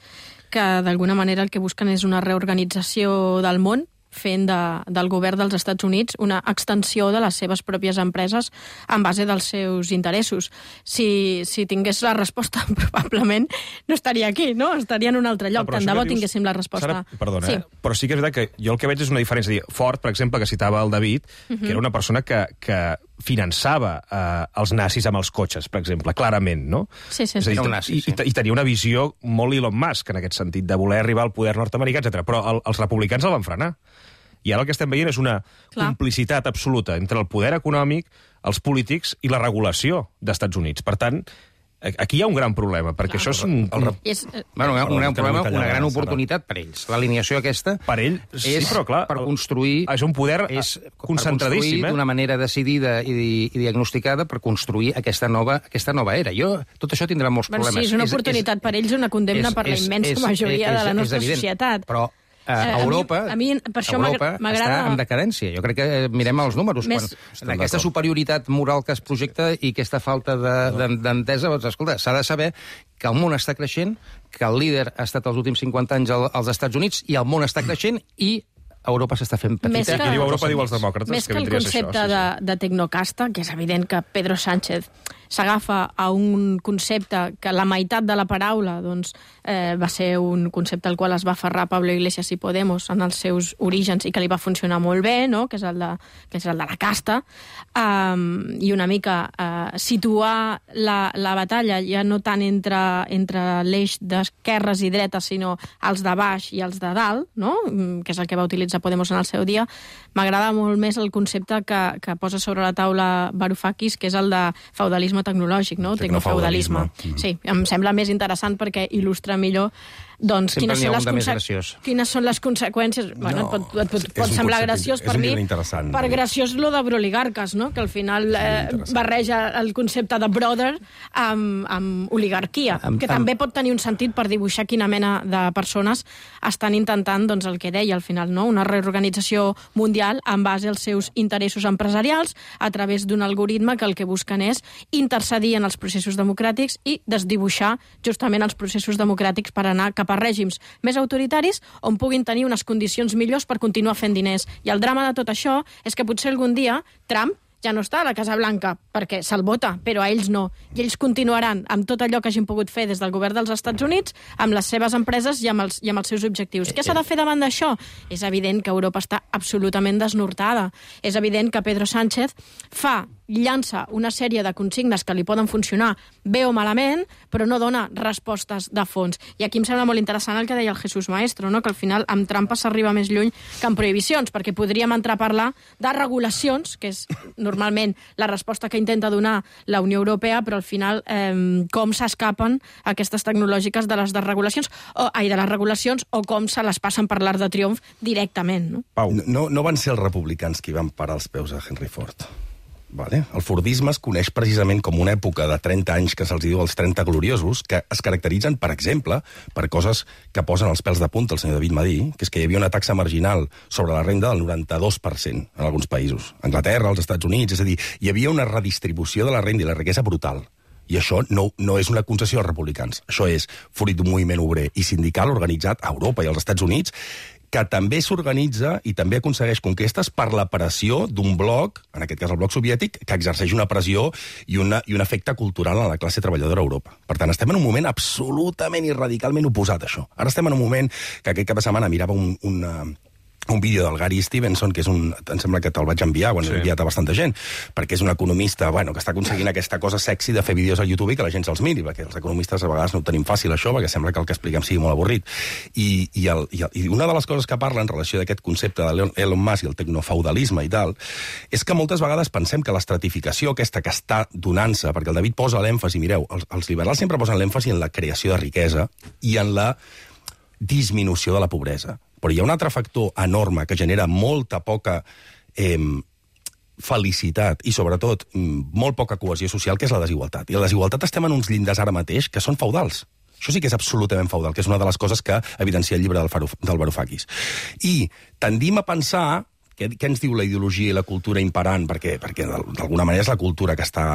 que d'alguna manera el que busquen és una reorganització del món, fent de, del govern dels Estats Units una extensió de les seves pròpies empreses en base dels seus interessos. Si, si tingués la resposta, probablement no estaria aquí, no? Estaria en un altre lloc. Tant de bo tinguéssim la resposta. Sara, perdona, sí. eh? Però sí que és veritat que jo el que veig és una diferència. Ford, per exemple, que citava el David, uh-huh. que era una persona que, que finançava eh, els nazis amb els cotxes, per exemple, clarament, no? Sí, sí, sí. És a dir, nazi, sí. I, I tenia una visió molt Elon Musk, en aquest sentit, de voler arribar al poder nord-americà, etcètera. Però el, els republicans el van frenar. I ara el que estem veient és una Clar. complicitat absoluta entre el poder econòmic, els polítics i la regulació d'Estats Units. Per tant, aquí hi ha un gran problema, perquè Clar. això és un... El, el, És, Bueno, un, un gran que no problema, vull tallar, una gran Sara. oportunitat per ells. L'alineació aquesta Per ell, sí, és però clar... per construir... És un poder és concentradíssim, per eh? d'una manera decidida i, i diagnosticada per construir aquesta nova, aquesta nova era. Jo, tot això tindrà molts bueno, problemes. sí, és una oportunitat per ells, una condemna per la immensa majoria de la nostra evident, societat. Però Eh, a a Europa, mi- a mi per això Europa m'agrada- està en decadència. Jo crec que eh, mirem els números. Més- Quan, aquesta superioritat moral que es projecta i aquesta falta de- de- d'entesa, doncs, escolta, s'ha de saber que el món està creixent, que el líder ha estat els últims cinquanta anys al- als Estats Units, i el món està creixent, i Europa s'està fent petita. Més que- Qui diu Europa diu els demòcrates, Més que que el vindria a ser concepte això, sí, de, de tecnocasta, que és evident que Pedro Sánchez s'agafa a un concepte que la meitat de la paraula doncs, eh, va ser un concepte al qual es va aferrar Pablo Iglesias i Podemos en els seus orígens i que li va funcionar molt bé, no? que, és el de, que és el de la casta, um, i una mica uh, situar la, la batalla ja no tant entre, entre l'eix d'esquerres i dretes, sinó els de baix i els de dalt, no? que és el que va utilitzar Podemos en el seu dia. M'agrada molt més el concepte que, que posa sobre la taula Varoufakis, que és el de feudalisme tecnològic, no? Tecnofeudalisme. Tecnofeudalisme. Sí, em sembla més interessant perquè il·lustra millor doncs, Sempre quines, n'hi ha són un les de més conse- graciós. quines són les conseqüències. Bueno, et pot, et pot, és pot un semblar concepte- graciós és per un mi. llibre interessant. Per graciós lo de broligarques, no? que al final eh, interessant. barreja el concepte de brother amb, amb oligarquia, Amb- que amb- també pot tenir un sentit per dibuixar quina mena de persones estan intentant doncs, el que deia al final, no? una reorganització mundial en base als seus interessos empresarials a través d'un algoritme que el que busquen és intercedir en els processos democràtics i desdibuixar justament els processos democràtics per anar cap a règims més autoritaris on puguin tenir unes condicions millors per continuar fent diners. I el drama de tot això és que potser algun dia Trump ja no està a la Casa Blanca, perquè se'l vota, però a ells no. I ells continuaran amb tot allò que hagin pogut fer des del govern dels Estats Units, amb les seves empreses i amb els, i amb els seus objectius. Què s'ha de fer davant d'això? És evident que Europa està absolutament desnortada. És evident que Pedro Sánchez fa llança una sèrie de consignes que li poden funcionar bé o malament, però no dona respostes de fons. I aquí em sembla molt interessant el que deia el Jesús Maestro, no? que al final amb trampes s'arriba més lluny que amb prohibicions, perquè podríem entrar a parlar de regulacions, que és normalment la resposta que intenta donar la Unió Europea, però al final eh, com s'escapen aquestes tecnològiques de les desregulacions, o, ai, de les regulacions, o com se les passen per l'Arc de Triomf directament. No? Pau, No, no van ser els republicans qui van parar els peus a Henry Ford. Vale? El fordisme es coneix precisament com una època de trenta anys que se'ls diu els trenta gloriosos, que es caracteritzen, per exemple, per coses que posen els pèls de punta el senyor David Madí, que és que hi havia una taxa marginal sobre la renda del noranta-dos per cent en alguns països. Anglaterra, els Estats Units, és a dir, hi havia una redistribució de la renda i la riquesa brutal. I això no, no és una concessió als republicans. Això és fruit d'un moviment obrer i sindical organitzat a Europa i als Estats Units, que també s'organitza i també aconsegueix conquestes per la pressió d'un bloc, en aquest cas el bloc soviètic, que exerceix una pressió i, una, i un efecte cultural a la classe treballadora a Europa. Per tant, estem en un moment absolutament i radicalment oposat a això. Ara estem en un moment que aquest cap de setmana mirava un, una, un vídeo del Gary Stevenson, que és un... em sembla que te'l vaig enviar, quan sí. l'he enviat a bastanta gent, perquè és un economista, bueno, que està aconseguint aquesta cosa sexy de fer vídeos a YouTube i que la gent se'ls miri, perquè els economistes a vegades no ho tenim fàcil, això, perquè sembla que el que expliquem sigui molt avorrit. I, i, el, i, el, i una de les coses que parla en relació d'aquest concepte de Elon Musk i el tecnofeudalisme i tal, és que moltes vegades pensem que l'estratificació aquesta que està donant-se, perquè el David posa l'èmfasi, mireu, els, els liberals sempre posen l'èmfasi en la creació de riquesa i en la disminució de la pobresa. Però hi ha un altre factor enorme que genera molta poca eh, felicitat i, sobretot, molt poca cohesió social, que és la desigualtat. I la desigualtat estem en uns llindars ara mateix que són feudals. Això sí que és absolutament feudal, que és una de les coses que evidencia el llibre del, Faruf, del Varoufakis. I tendim a pensar, què, què ens diu la ideologia i la cultura imperant, perquè, perquè d'alguna manera és la cultura que està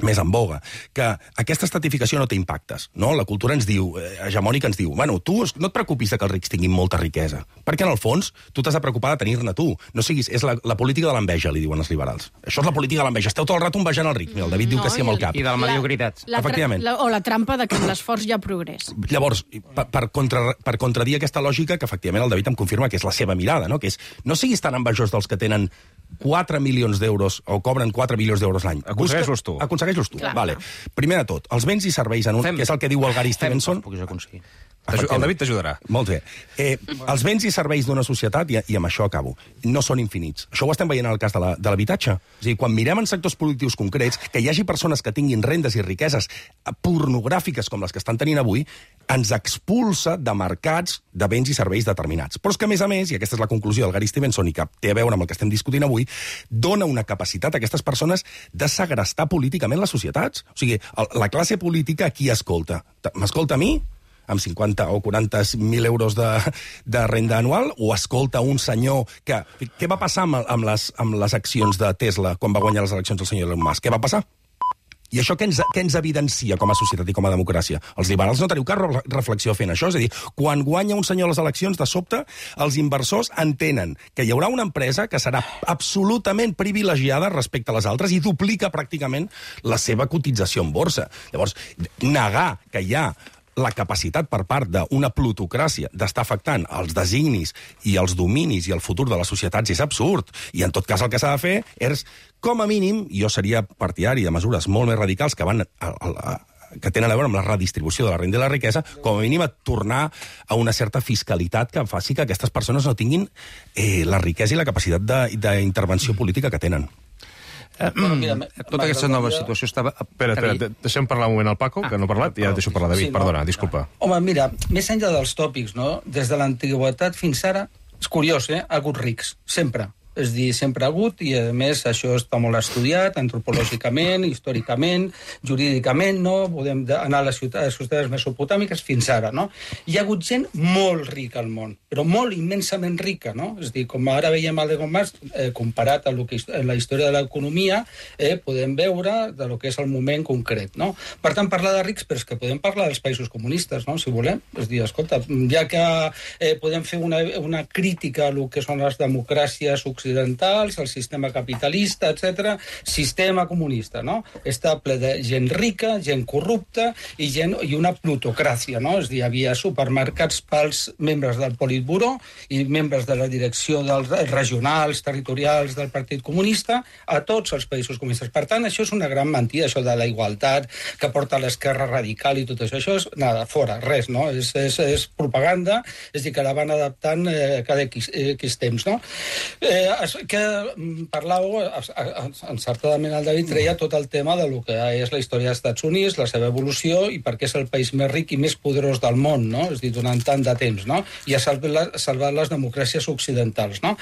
més en boga, que aquesta estratificació no té impactes, no? La cultura ens diu, eh, hegemònica ens diu, bueno, tu no et preocupis de que els rics tinguin molta riquesa, perquè en el fons tu t'has de preocupar de tenir-ne tu. No siguis, és la, la política de l'enveja, li diuen els liberals. Això és la política de l'enveja. Esteu tot el rato envejant el ric. Mira, el David diu No, que sí amb el cap. I de la mediocritat. La, la, Efectivament. la, o la trampa de que amb l'esforç hi ha progrés. Llavors, per, per, contra, per contradir aquesta lògica, que efectivament el David em confirma que és la seva mirada, no? Que és, no siguis tan envejós dels que tenen quatre milions d'euros o cobren quatre milions d'euros l'any. Aconsegueix-los tu. Aconsegueix-los tu, Clar. vale. Primer de tot, els béns i serveis en un, Fem- que és el que diu el Gary Fem Stevenson. que els puguis aconseguir. El David t'ajudarà. Molt bé. Eh, els béns i serveis d'una societat, i, i amb això acabo, no són infinits. Això ho estem veient en el cas de l'habitatge. La, és a dir, quan mirem en sectors productius concrets, que hi hagi persones que tinguin rendes i riqueses pornogràfiques com les que estan tenint avui, ens expulsa de mercats de béns i serveis determinats. Però és que, a més a més, i aquesta és la conclusió del Gary Stevenson i que té a veure amb el que estem discutint avui, dona una capacitat a aquestes persones de segrestar políticament les societats. O sigui, la classe política a qui escolta? M'escolta a mi? Amb cinquanta o quaranta mil euros de, de renda anual, o escolta un senyor que... Què va passar amb, amb, les, amb les accions de Tesla quan va guanyar les eleccions el senyor Elon Musk? Què va passar? I això què ens, què ens evidencia com a societat i com a democràcia? Els liberals no teniu cap reflexió fent això. És a dir, quan guanya un senyor les eleccions, de sobte, els inversors entenen que hi haurà una empresa que serà absolutament privilegiada respecte a les altres i duplica pràcticament la seva cotització en borsa. Llavors, negar que hi ha la capacitat per part d'una plutocràcia d'estar afectant els designis i els dominis i el futur de les societats és absurd. I en tot cas el que s'ha de fer és, com a mínim, jo seria partidari de mesures molt més radicals que van a, a, a, que tenen a veure amb la redistribució de la renda i la riquesa, com a mínim a tornar a una certa fiscalitat que faci que aquestes persones no tinguin eh, la riquesa i la capacitat d'intervenció política que tenen. Uh, bueno, mira, tota aquesta nova situació estava... Espera, espera, deixem parlar un moment al Paco, ah, que no ha parlat, i ja et deixo parlar, David, sí, no, perdona, disculpa. Home, mira, més enllà dels tòpics, no? Des de l'antiguitat fins ara, és curiós, eh? Ha hagut rics, sempre. És dir, sempre ha hagut, i a més això està molt estudiat, antropològicament, històricament, jurídicament, no? Podem anar a les ciutats, les ciutats mesopotàmiques fins ara, no? Hi ha hagut gent molt rica al món, però molt immensament rica, no? És dir, com ara veiem el de Gomas, eh, comparat amb la història de l'economia, eh, podem veure de lo que és el moment concret, no? Per tant, parlar de rics, però és que podem parlar dels països comunistes, no? Si volem. És dir, escolta, ja que eh, podem fer una, una crítica a lo que són les democràcies occidentals, occidentals, el sistema capitalista, etcètera, sistema comunista, no? Està ple de gent rica, gent corrupta i, gent, i una plutocràcia, no? És a dir, hi havia supermercats pels membres del Politburó i membres de la direcció dels regionals, territorials del Partit Comunista a tots els països comunistes. Per tant, això és una gran mentida, això de la igualtat que porta l'esquerra radical i tot això. Això és, nada, fora, res, no? És, és, és propaganda, és a dir, que la van adaptant eh, cada X, eh, X temps, no? Eh, que parlàveu, encertadament el David treia tot el tema de lo que és la història dels Estats Units, la seva evolució i per què és el país més ric i més poderós del món, no? És a dir, durant tant de temps, no? I ha salvat, salvat les democràcies occidentals, no?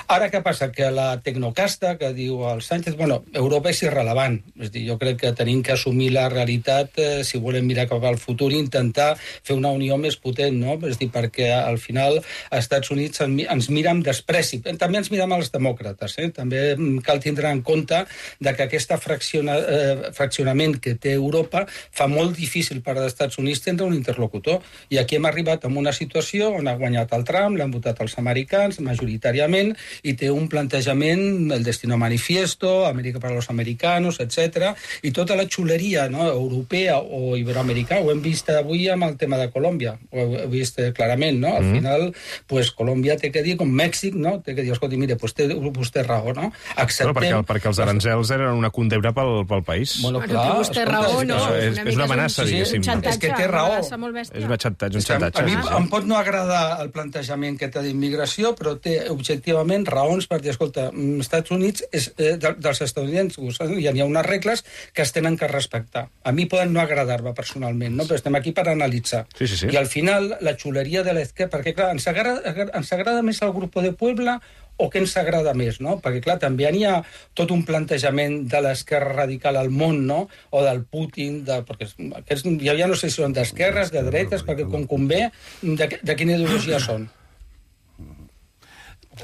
Ara què passa? Que la tecnocasta que diu el Sánchez, bueno, Europa és irrelevant. És a dir, jo crec que tenim que assumir la realitat eh, si volem mirar cap al futur i intentar fer una unió més potent, no? És a dir, perquè al final als Estats Units ens mira amb despreci. També ens mira amb els demòcrates. Eh? També cal tindre en compte de que aquest fracciona, eh, fraccionament que té Europa fa molt difícil per als Estats Units tindre un interlocutor. I aquí hem arribat a una situació on ha guanyat el Trump, l'han votat els americans majoritàriament i té un plantejament, el Destino Manifiesto, Amèrica per als americanos, etcètera. I tota la xuleria, no? Europea o iberoamericana, ho hem vist avui amb el tema de Colòmbia, ho he vist clarament, no? Al mm. final, pues, Colòmbia té que dir, com Mèxic, no? Té que dir, escolta, mire, pues té vostè raó, no? Acceptem... Però perquè, perquè els aranzels eren una condemna pel, pel país. Bueno, clar, té vostè raó, no? És, és, és una amenaça, un, diguéssim. Un xantatge, és que té raó. És un xantatge, un xantatge. A mi sí. Em pot no agradar el plantejament que té d'immigració, però té objectivament raons per dir, escolta, als Estats Units, és, eh, dels estadounidencs, hi ha unes regles que es tenen que respectar. A mi poden no agradar-me personalment, no? Però estem aquí per analitzar. Sí, sí, sí. I al final, la xuleria de l'esquerra, perquè clar, ens agrada, ens agrada més el grup de Puebla o què ens agrada més, no? Perquè, clar, també hi ha tot un plantejament de l'esquerra radical al món, no? O del Putin, de, perquè aquests, ja, ja no sé si són d'esquerres, de dretes, perquè com convé, de, de quina ideologia són.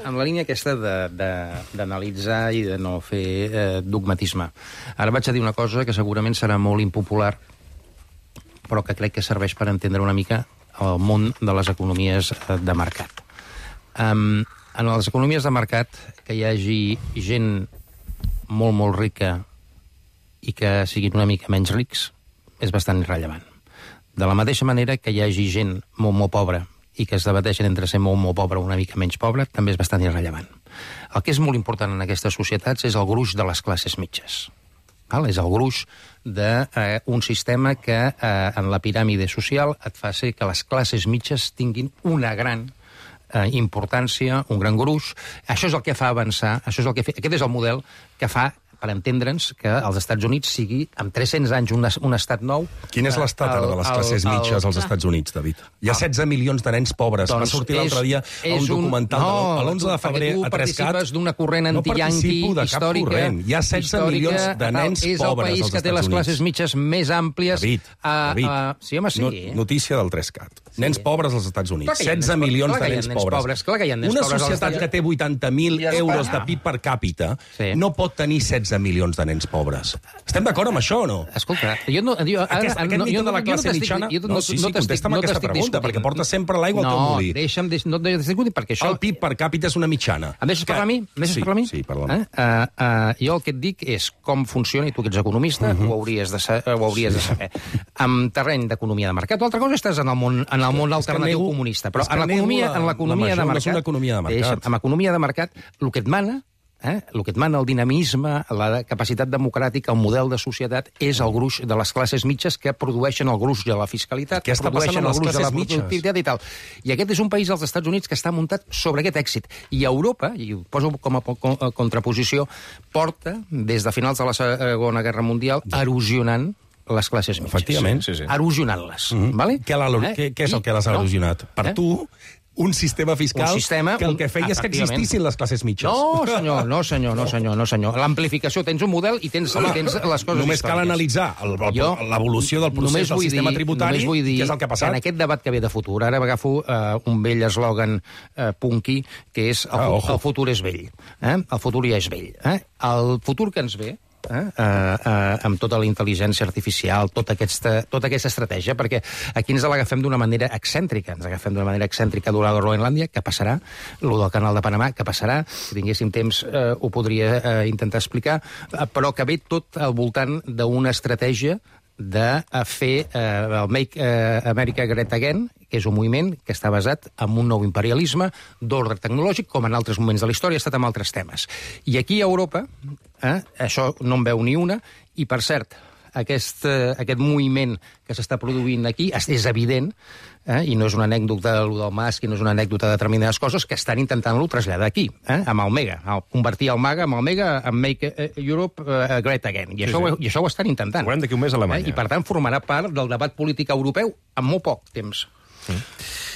En la línia aquesta d'analitzar i de no fer eh, dogmatisme. Ara vaig a dir una cosa que segurament serà molt impopular, però que crec que serveix per entendre una mica el món de les economies de mercat. Um, en les economies de mercat, que hi hagi gent molt, molt rica i que siguin una mica menys rics, és bastant irrellevant. De la mateixa manera que hi hagi gent molt, molt pobra i que es debateixen entre ser molt, molt pobre o una mica menys pobre, també és bastant irrellevant. El que és molt important en aquestes societats és el gruix de les classes mitges. Val? És el gruix d'un eh, sistema que eh, en la piràmide social et fa ser que les classes mitges tinguin una gran eh, importància, un gran gruix. Això és el que fa avançar, això és el que fa, aquest és el model que fa, per entendre'ns, que als Estats Units sigui, amb tres-cents anys, un, un estat nou. Quin és l'estat ara de les classes el, el, mitges als Estats Units, David? Hi ha el, setze milions de nens pobres. Doncs va sortir l'altre dia a un documental un, no, de l'onze de febrer a tres cat. Tu participes d'una corrent anti-yanqui no històrica. Corrent. Hi ha setze milions de nens pobres als Estats Units. És el país que té les classes mitges més àmplies. David, a, David. A, sí, home, sí. No, notícia del tres cat. Sí. Nens pobres als Estats Units. setze milions de nens pobres. Clar que hi ha nens Una pobres societat que té vuitanta mil euros de P I B per càpita no pot tenir setze milions de nens pobres. Estem d'acord amb això o no? Escolta, jo no... Jo, aquest aquest no, mite jo, de la classe no mitjana... Jo, no, sí, sí, no contesta'm no aquesta pregunta, perquè porta sempre l'aigua al teu molí. No, deixa'm... No t'estic discutint, perquè això... El P I B per càpita és una mitjana. Em deixes parlar a mi? Em deixes sí, parlar a mi? Sí, parla'm. Eh? Uh, uh, jo el que et dic és com funciona, i tu que ets economista, uh -huh. ho hauries de, sa ho hauries sí. de saber. En terreny d'economia de mercat, o altra cosa estàs en el món, en el món alternatiu nego, comunista, però en l'economia en l'economia de mercat... economia de mercat. Deixa'm, en l'economia de mercat, el que et mana Eh? El que et mana el dinamisme, la capacitat democràtica, el model de societat, és el gruix de les classes mitges que produeixen el gruix de la fiscalitat, que produeixen el gruix de la productivitat i tal. I aquest és un país dels Estats Units que està muntat sobre aquest èxit. I Europa, i ho poso com a contraposició, porta, des de finals de la Segona Guerra Mundial, erosionant les classes mitges. Efectivament, sí, sí. Erosionant-les. Mm -hmm. Vale? Què, eh? què, què és el que l'has erosionat? No? Per eh? tu... un sistema fiscal un sistema, que el que feia és que existissin les classes mitges. No, senyor, no, senyor, no, senyor, no, senyor. L'amplificació, tens un model i tens, Home, tens les coses només històriques. cal analitzar l'evolució del procés del sistema dir, tributari, vull dir que és el que ha passat. En aquest debat que ve de futur, ara agafo uh, un vell eslògan uh, punky, que és el, ah, el futur és vell. Eh? El futur ja és vell. Eh? El futur que ens ve, Eh? Uh, uh, amb tota la intel·ligència artificial, tota aquesta, tota aquesta estratègia, perquè aquí ens l'agafem d'una manera excèntrica, ens agafem d'una manera excèntrica durant la Groenlàndia, que passarà, el del canal de Panamà, que passarà, si tinguéssim temps uh, ho podria uh, intentar explicar, uh, però que ve tot al voltant d'una estratègia de fer eh, el Make eh, America Great Again, que és un moviment que està basat en un nou imperialisme d'ordre tecnològic, com en altres moments de la història ha estat amb altres temes. I aquí a Europa, eh, això no en veu ni una, i per cert, aquest, eh, aquest moviment que s'està produint aquí és evident, eh, i no és una anècdota de lo del Musk, i no és una anècdota de determinades coses, que estan intentant-lo traslladar aquí, eh, amb el Mega, el, convertir el Mega amb el Mega en Make Europe uh, Great Again. I, sí, això, sí. I això ho estan intentant. Ho veurem d'aquí un mes a Alemanya. Eh, I per tant formarà part del debat polític europeu en molt poc temps. Mm.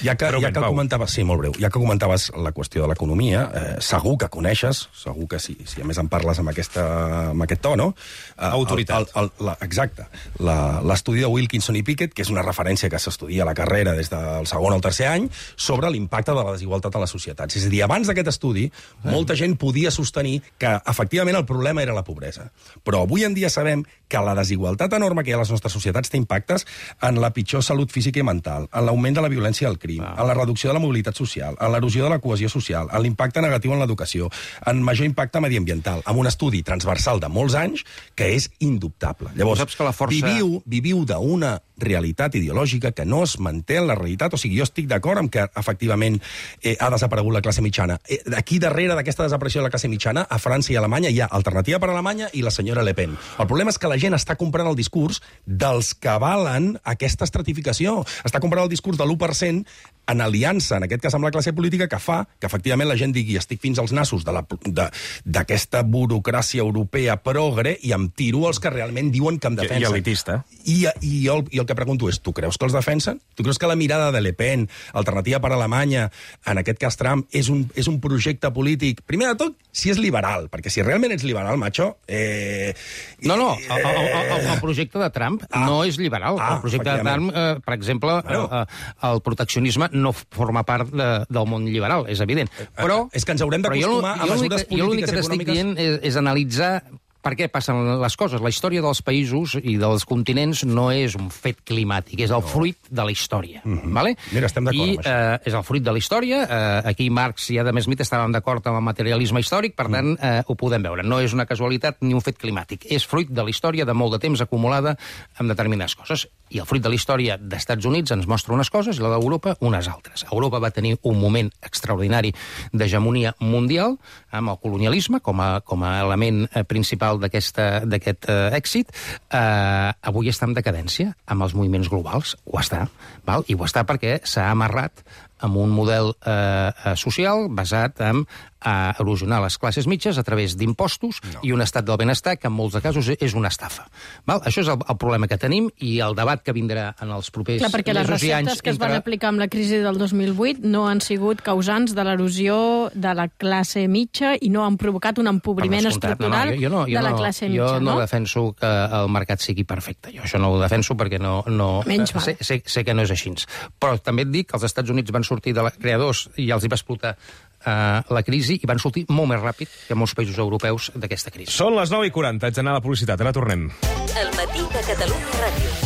Ja que, ja que comentaves, sí, molt breu, ja que comentaves la qüestió de l'economia, eh, segur que coneixes, segur que sí, si a més en parles amb, aquesta, amb aquest to, no? Eh, Autoritat. El, el, el, la, exacte. L'estudi de Wilkinson i Pickett, que és una referència que s'estudia a la carrera des del segon al tercer any, sobre l'impacte de la desigualtat a les societats. És a dir, abans d'aquest estudi, molta gent podia sostenir que, efectivament, el problema era la pobresa. Però avui en dia sabem que la desigualtat enorme que hi ha a les nostres societats té impactes en la pitjor salut física i mental, en l'augment de la violència i el crim, en la reducció de la mobilitat social, en l'erosió de la cohesió social, en l'impacte negatiu en l'educació, en major impacte mediambiental, amb un estudi transversal de molts anys que és indubtable. Llavors, saps que la força... viviu, viviu d'una realitat ideològica que no es manté en la realitat. O sigui, jo estic d'acord amb que, efectivament, eh, ha desaparegut la classe mitjana. Eh, aquí darrere d'aquesta desaparició de la classe mitjana, a França i a Alemanya hi ha Alternativa per Alemanya i la senyora Le Pen. El problema és que la gent està comprant el discurs dels que avalen aquesta estratificació. Està comprant el discurs de l'u per cent en aliança, en aquest cas amb la classe política, que fa que efectivament la gent digui estic fins als nassos d'aquesta burocràcia europea progre i em tiro els que realment diuen que em defensen. I elitista. I, i, jo, i el que pregunto és, tu creus que els defensen? Tu creus que la mirada de Le Pen, Alternativa per Alemanya, en aquest cas Trump, és un, és un projecte polític, primer de tot, si és liberal, perquè si realment ets liberal, macho... Eh, no, no, el, el, el, el projecte de Trump ah, no és liberal. Ah, el projecte de Trump, eh, per exemple, bueno. eh, el proteccionisme no forma part de, del món liberal, és evident. Però, és que ens haurem d'acostumar a mesures polítiques i econòmiques... Jo l'únic que t'estic dient és, és analitzar per què passen les coses. La història dels països i dels continents no és un fet climàtic, és el fruit de la història. Mm-hmm. Vale? Mira, estem d'acord I, amb això. Eh, és el fruit de la història. Eh, aquí Marx i Adam Smith estaven d'acord amb el materialisme històric, per tant, eh, ho podem veure. No és una casualitat ni un fet climàtic. És fruit de la història de molt de temps acumulada amb determinades coses. I el fruit de la història d'Estats Units ens mostra unes coses i la d'Europa unes altres. Europa va tenir un moment extraordinari d'hegemonia mundial amb el colonialisme com a, com a element principal dalt d'aquest èxit, eh, avui està en decadència amb els moviments globals. Ho està, val? I ho està perquè s'ha amarrat amb un model eh, social basat en eh, erosionar les classes mitges a través d'impostos no. i un estat del benestar que en molts de casos és una estafa. Val? Això és el, el problema que tenim i el debat que vindrà en els propers Clar, perquè les mesos i anys... receptes que es van aplicar amb la crisi del dos mil vuit no han sigut causants de l'erosió de la classe mitja i no han provocat un empobriment estructural no, no, jo, jo no, jo de la no, classe jo mitja, no? no? Jo no defenso que el mercat sigui perfecte. Jo això no ho defenso perquè no... no Menys val. sé, sé, sé que no és així. Però també et dic que els Estats Units van sortir de la creadors i els hi va explotar Uh, la crisi i van sortir molt més ràpid que molts països europeus d'aquesta crisi. Són les nou i quaranta, haig d'anar a la publicitat, ara tornem. El matí de Catalunya Ràdio.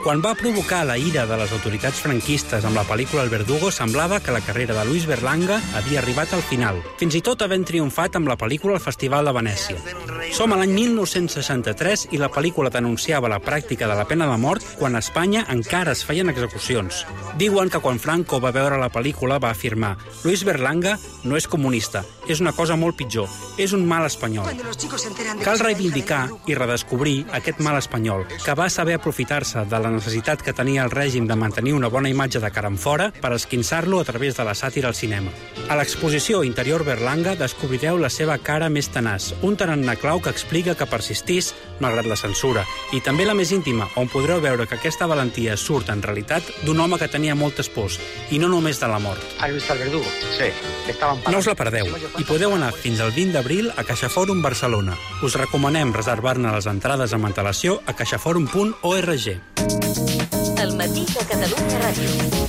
Quan va provocar la ira de les autoritats franquistes amb la pel·lícula El Verdugo, semblava que la carrera de Luis Berlanga havia arribat al final, fins i tot havent triomfat amb la pel·lícula al Festival de Venècia. Som a l'any mil nou-cents seixanta-tres i la pel·lícula denunciava la pràctica de la pena de mort quan a Espanya encara es feien execucions. Diuen que quan Franco va veure la pel·lícula va afirmar «Luis Berlanga no és comunista, és una cosa molt pitjor, és un mal espanyol». Cal reivindicar i redescobrir aquest mal espanyol, que va saber aprofitar-se de la necessitat que tenia el règim de mantenir una bona imatge de cara enfora per esquinçar-lo a través de la sàtira al cinema. A l'exposició Interior Berlanga descobrireu la seva cara més tenaç, un tarannà clau que explica que persistís malgrat la censura, i també la més íntima, on podreu veure que aquesta valentia surt en realitat d'un home que tenia moltes pors, i no només de la mort. ¿Has visto al Verdugo? Sí. No us la perdeu, i podeu anar fins al vint d'abril a CaixaForum Barcelona. Us recomanem reservar-ne les entrades amb antelació a caixaforum punt org. El matí de Catalunya Ràdio.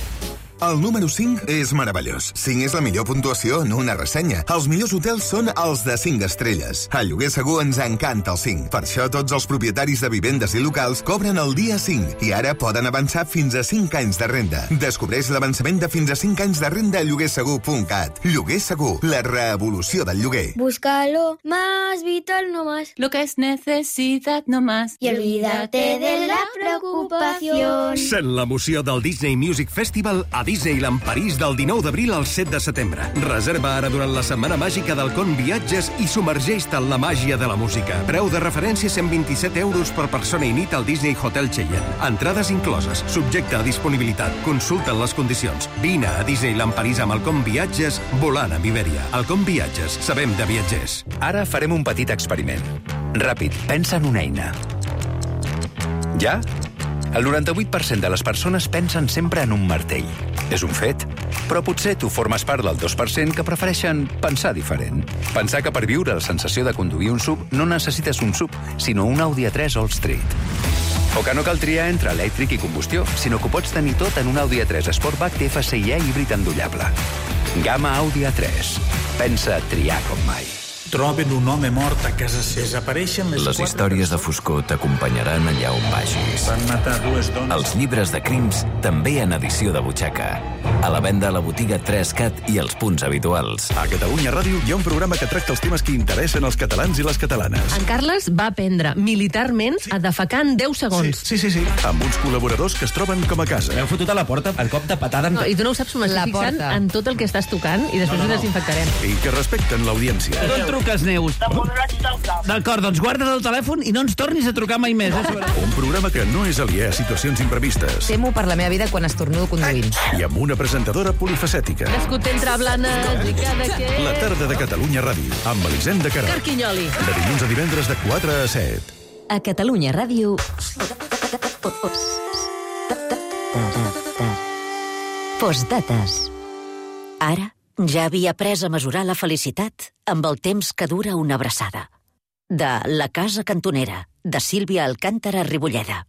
El número cinc és meravellós. cinc és la millor puntuació en una ressenya. Els millors hotels són els de cinc estrelles. A Lloguer Segur ens encanta el cinc. Per això tots els propietaris de vivendes i locals cobren el dia cinc i ara poden avançar fins a cinc anys de renda. Descobreix l'avançament de fins a cinc anys de renda a lloguer segur punt cat. Lloguer Segur, la revolució del lloguer. Búscalo más vital, no más. Lo que es necesidad, no más. Y olvídate de la preocupación. Sent l'emoció del Disney Music Festival a Disneyland París del dinou d'abril al set de setembre. Reserva ara durant la setmana màgica del Con Viatges i submergeix-te en la màgia de la música. Preu de referència cent vint-i-set euros per persona i nit al Disney Hotel Cheyenne. Entrades incloses, subjecte a disponibilitat. Consulta'n les condicions. Vine a Disneyland París amb el Con Viatges, volant amb Iberia. El Con Viatges, sabem de viatgers. Ara farem un petit experiment. Ràpid, pensa en una eina. Ja? El noranta-vuit per cent de les persones pensen sempre en un martell. És un fet. Però potser tu formes part del dos per cent que prefereixen pensar diferent. Pensar que per viure la sensació de conduir un sub no necessites un sub, sinó un Audi A tres All Street. O que no cal triar entre elèctric i combustió, sinó que ho pots tenir tot en un Audi A tres Sportback T F C I híbrid endollable. Gamma Audi A tres. Pensa triar com mai. Troben un home mort a casa seva. Desapareixen les, les històries de foscor t'acompanyaran allà on vagis. Van matar dues dones. Els llibres de crims també en edició de butxaca. A la venda a la botiga tres cat i els punts habituals. A Catalunya Ràdio hi ha un programa que tracta els temes que interessen als catalans i les catalanes. En Carles va aprendre militarment a defecar en deu segons. Sí, sí, sí, sí. Amb uns col·laboradors que es troben com a casa. M'heu fotut a la porta el cop de patada. No, I tu no ho saps, m'estic fixant en tot el que estàs tocant i després no, no, no. ho desinfectarem. I que respecten l'audiència. No et truques, Neus. D'acord, doncs guarda't el telèfon i no ens tornis a trucar mai més. Eh? Un programa que no és aliè a situacions imprevistes. Temo per la meva vida quan estornudo conduint. I amb una presentadora polifacètica. Nascut entre Blanes i Cadaqués. La tarda de Catalunya Ràdio, amb Elisenda Queralt. Carquinyoli. De dilluns a divendres de quatre a set. A Catalunya Ràdio... Postdates. Ara ja havia après a mesurar la felicitat amb el temps que dura una abraçada. De La casa cantonera, de Sílvia Alcántara Ribolleda.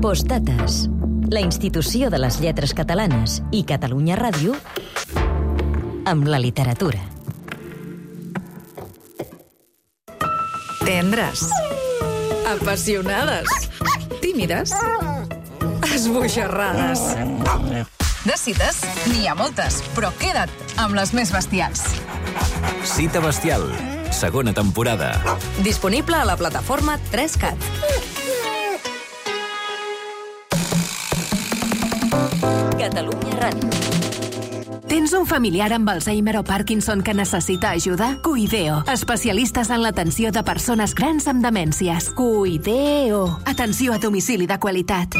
Postdates. La institució de les lletres catalanes i Catalunya Ràdio amb la literatura. Tendres. Apassionades. Tímides. Esbojarrades. De cites, n'hi ha moltes, però queda't amb les més bestials. Cita bestial, segona temporada. Disponible a la plataforma tres cat. Catalunya Ràdio. Tens un familiar amb Alzheimer o Parkinson que necessita ajuda? Cuideo, especialistes en l'atenció de persones grans amb demències. Cuideo. Atenció a domicili de qualitat.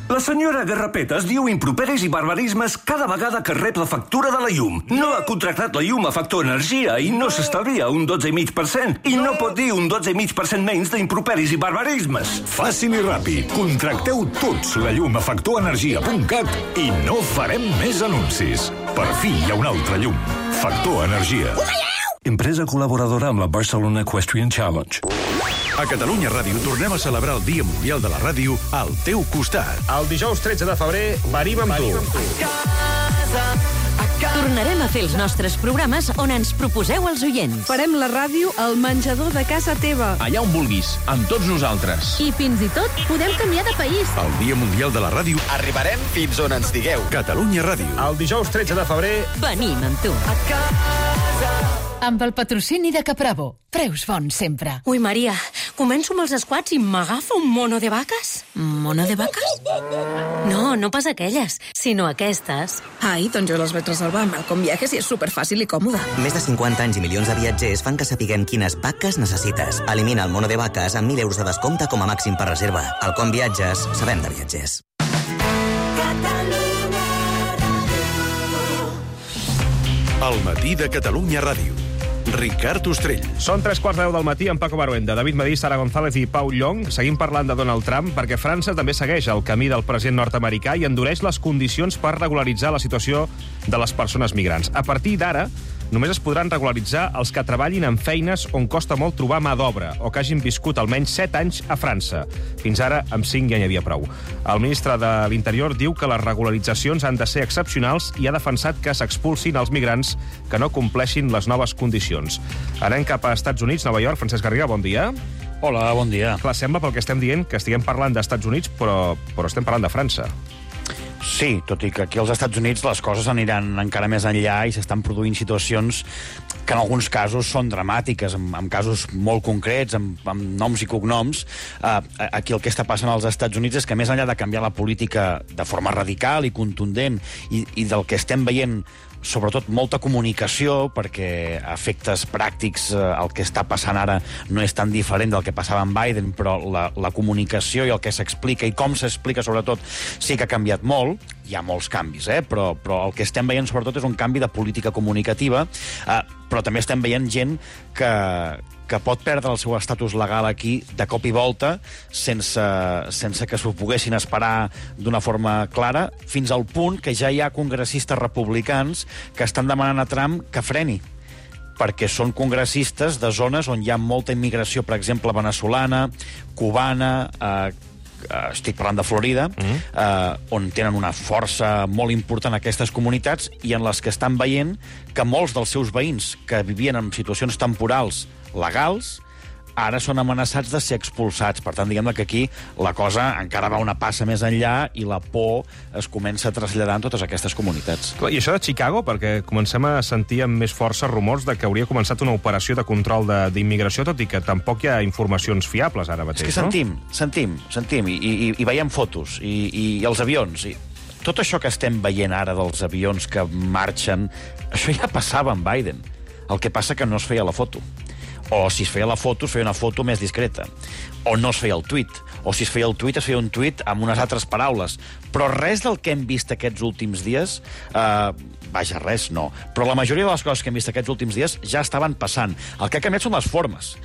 La senyora Garrapetes diu improperis i barbarismes cada vegada que rep la factura de la llum. No ha contractat la llum a Factor Energia i no s'estalvia un dotze coma cinc per cent. I no pot dir un dotze coma cinc per cent menys d'improperis i barbarismes. Fàcil i ràpid. Contracteu tots la llum a factor energia punt cat i no farem més anuncis. Per fi hi ha una altra llum. Factor Energia. Empresa col·laboradora amb la Barcelona Equestrian Challenge. A Catalunya Ràdio tornem a celebrar el Dia Mundial de la Ràdio al teu costat. El dijous tretze de febrer venim amb tu. Tornarem a fer els nostres programes on ens proposeu els oients. Farem la ràdio al menjador de casa teva. Allà on vulguis, amb tots nosaltres. I fins i tot podem canviar de país. El Dia Mundial de la Ràdio. Arribarem fins on ens digueu. Catalunya Ràdio. El dijous tretze de febrer venim amb tu. Amb el patrocini de Capravo. Preus bons sempre. Ui, Maria, començo amb els squats i m'agafa un mono de vaques? Mono de vaques? No, no pas aquelles, sinó aquestes. Ai, doncs jo les vaig reservar amb Malcom Viajes i és superfàcil i còmode. Més de cinquanta anys i milions de viatgers fan que sapiguem quines vaques necessites. Elimina el mono de vaques amb mil euros de descompte com a màxim per reserva. Al Com Viatges, sabem de viatgers. El matí de Catalunya Ràdio. Ricard Ostrell. Són tres quarts de deu del matí amb Paco Baruenda, David Madí, Sara González i Pau Llong. Seguim parlant de Donald Trump perquè França també segueix el camí del president nord-americà i endureix les condicions per regularitzar la situació de les persones migrants. A partir d'ara, només es podran regularitzar els que treballin en feines on costa molt trobar mà d'obra o que hagin viscut almenys set anys a França. Fins ara, amb cinc ja n'hi havia prou. El ministre de l'Interior diu que les regularitzacions han de ser excepcionals i ha defensat que s'expulsin els migrants que no compleixin les noves condicions. Anem cap a Estats Units, Nova York. Francesc Garriga, bon dia. Hola, bon dia. Clar, sembla pel que estem dient que estiguem parlant d'Estats Units, però, però estem parlant de França. Sí, tot i que aquí als Estats Units les coses aniran encara més enllà i s'estan produint situacions que en alguns casos són dramàtiques, en, en casos molt concrets, amb, amb noms i cognoms. Uh, aquí el que està passant als Estats Units és que més enllà de canviar la política de forma radical i contundent i, i del que estem veient sobretot molta comunicació, perquè a efectes pràctics eh, el que està passant ara no és tan diferent del que passava amb Biden, però la, la comunicació i el que s'explica i com s'explica sobretot sí que ha canviat molt. Hi ha molts canvis, eh? però, però el que estem veient sobretot és un canvi de política comunicativa, eh, però també estem veient gent que, que pot perdre el seu estatus legal aquí de cop i volta sense, sense que s'ho poguessin esperar d'una forma clara, fins al punt que ja hi ha congressistes republicans que estan demanant a Trump que freni, perquè són congressistes de zones on hi ha molta immigració, per exemple, veneçolana, cubana, eh, estic parlant de Florida, mm. eh, on tenen una força molt important aquestes comunitats i en les que estan veient que molts dels seus veïns que vivien en situacions temporals legals ara són amenaçats de ser expulsats. Per tant, diguem que aquí la cosa encara va una passa més enllà i la por es comença a traslladar en totes aquestes comunitats. I això de Chicago, perquè comencem a sentir amb més força rumors de que hauria començat una operació de control d'immigració, tot i que tampoc hi ha informacions fiables ara mateix, no? És que sentim, no? sentim, sentim, i, i, i veiem fotos, i, i, i els avions, i tot això que estem veient ara dels avions que marxen, això ja passava amb Biden. El que passa que no es feia la foto. O si es feia la foto, es feia una foto més discreta. O no es feia el tuit. O si es feia el tuit, es feia un tuit amb unes altres paraules. Però res del que hem vist aquests últims dies, eh, vaja, res, no. Però la majoria de les coses que hem vist aquests últims dies ja estaven passant. El que ha canviat són les formes.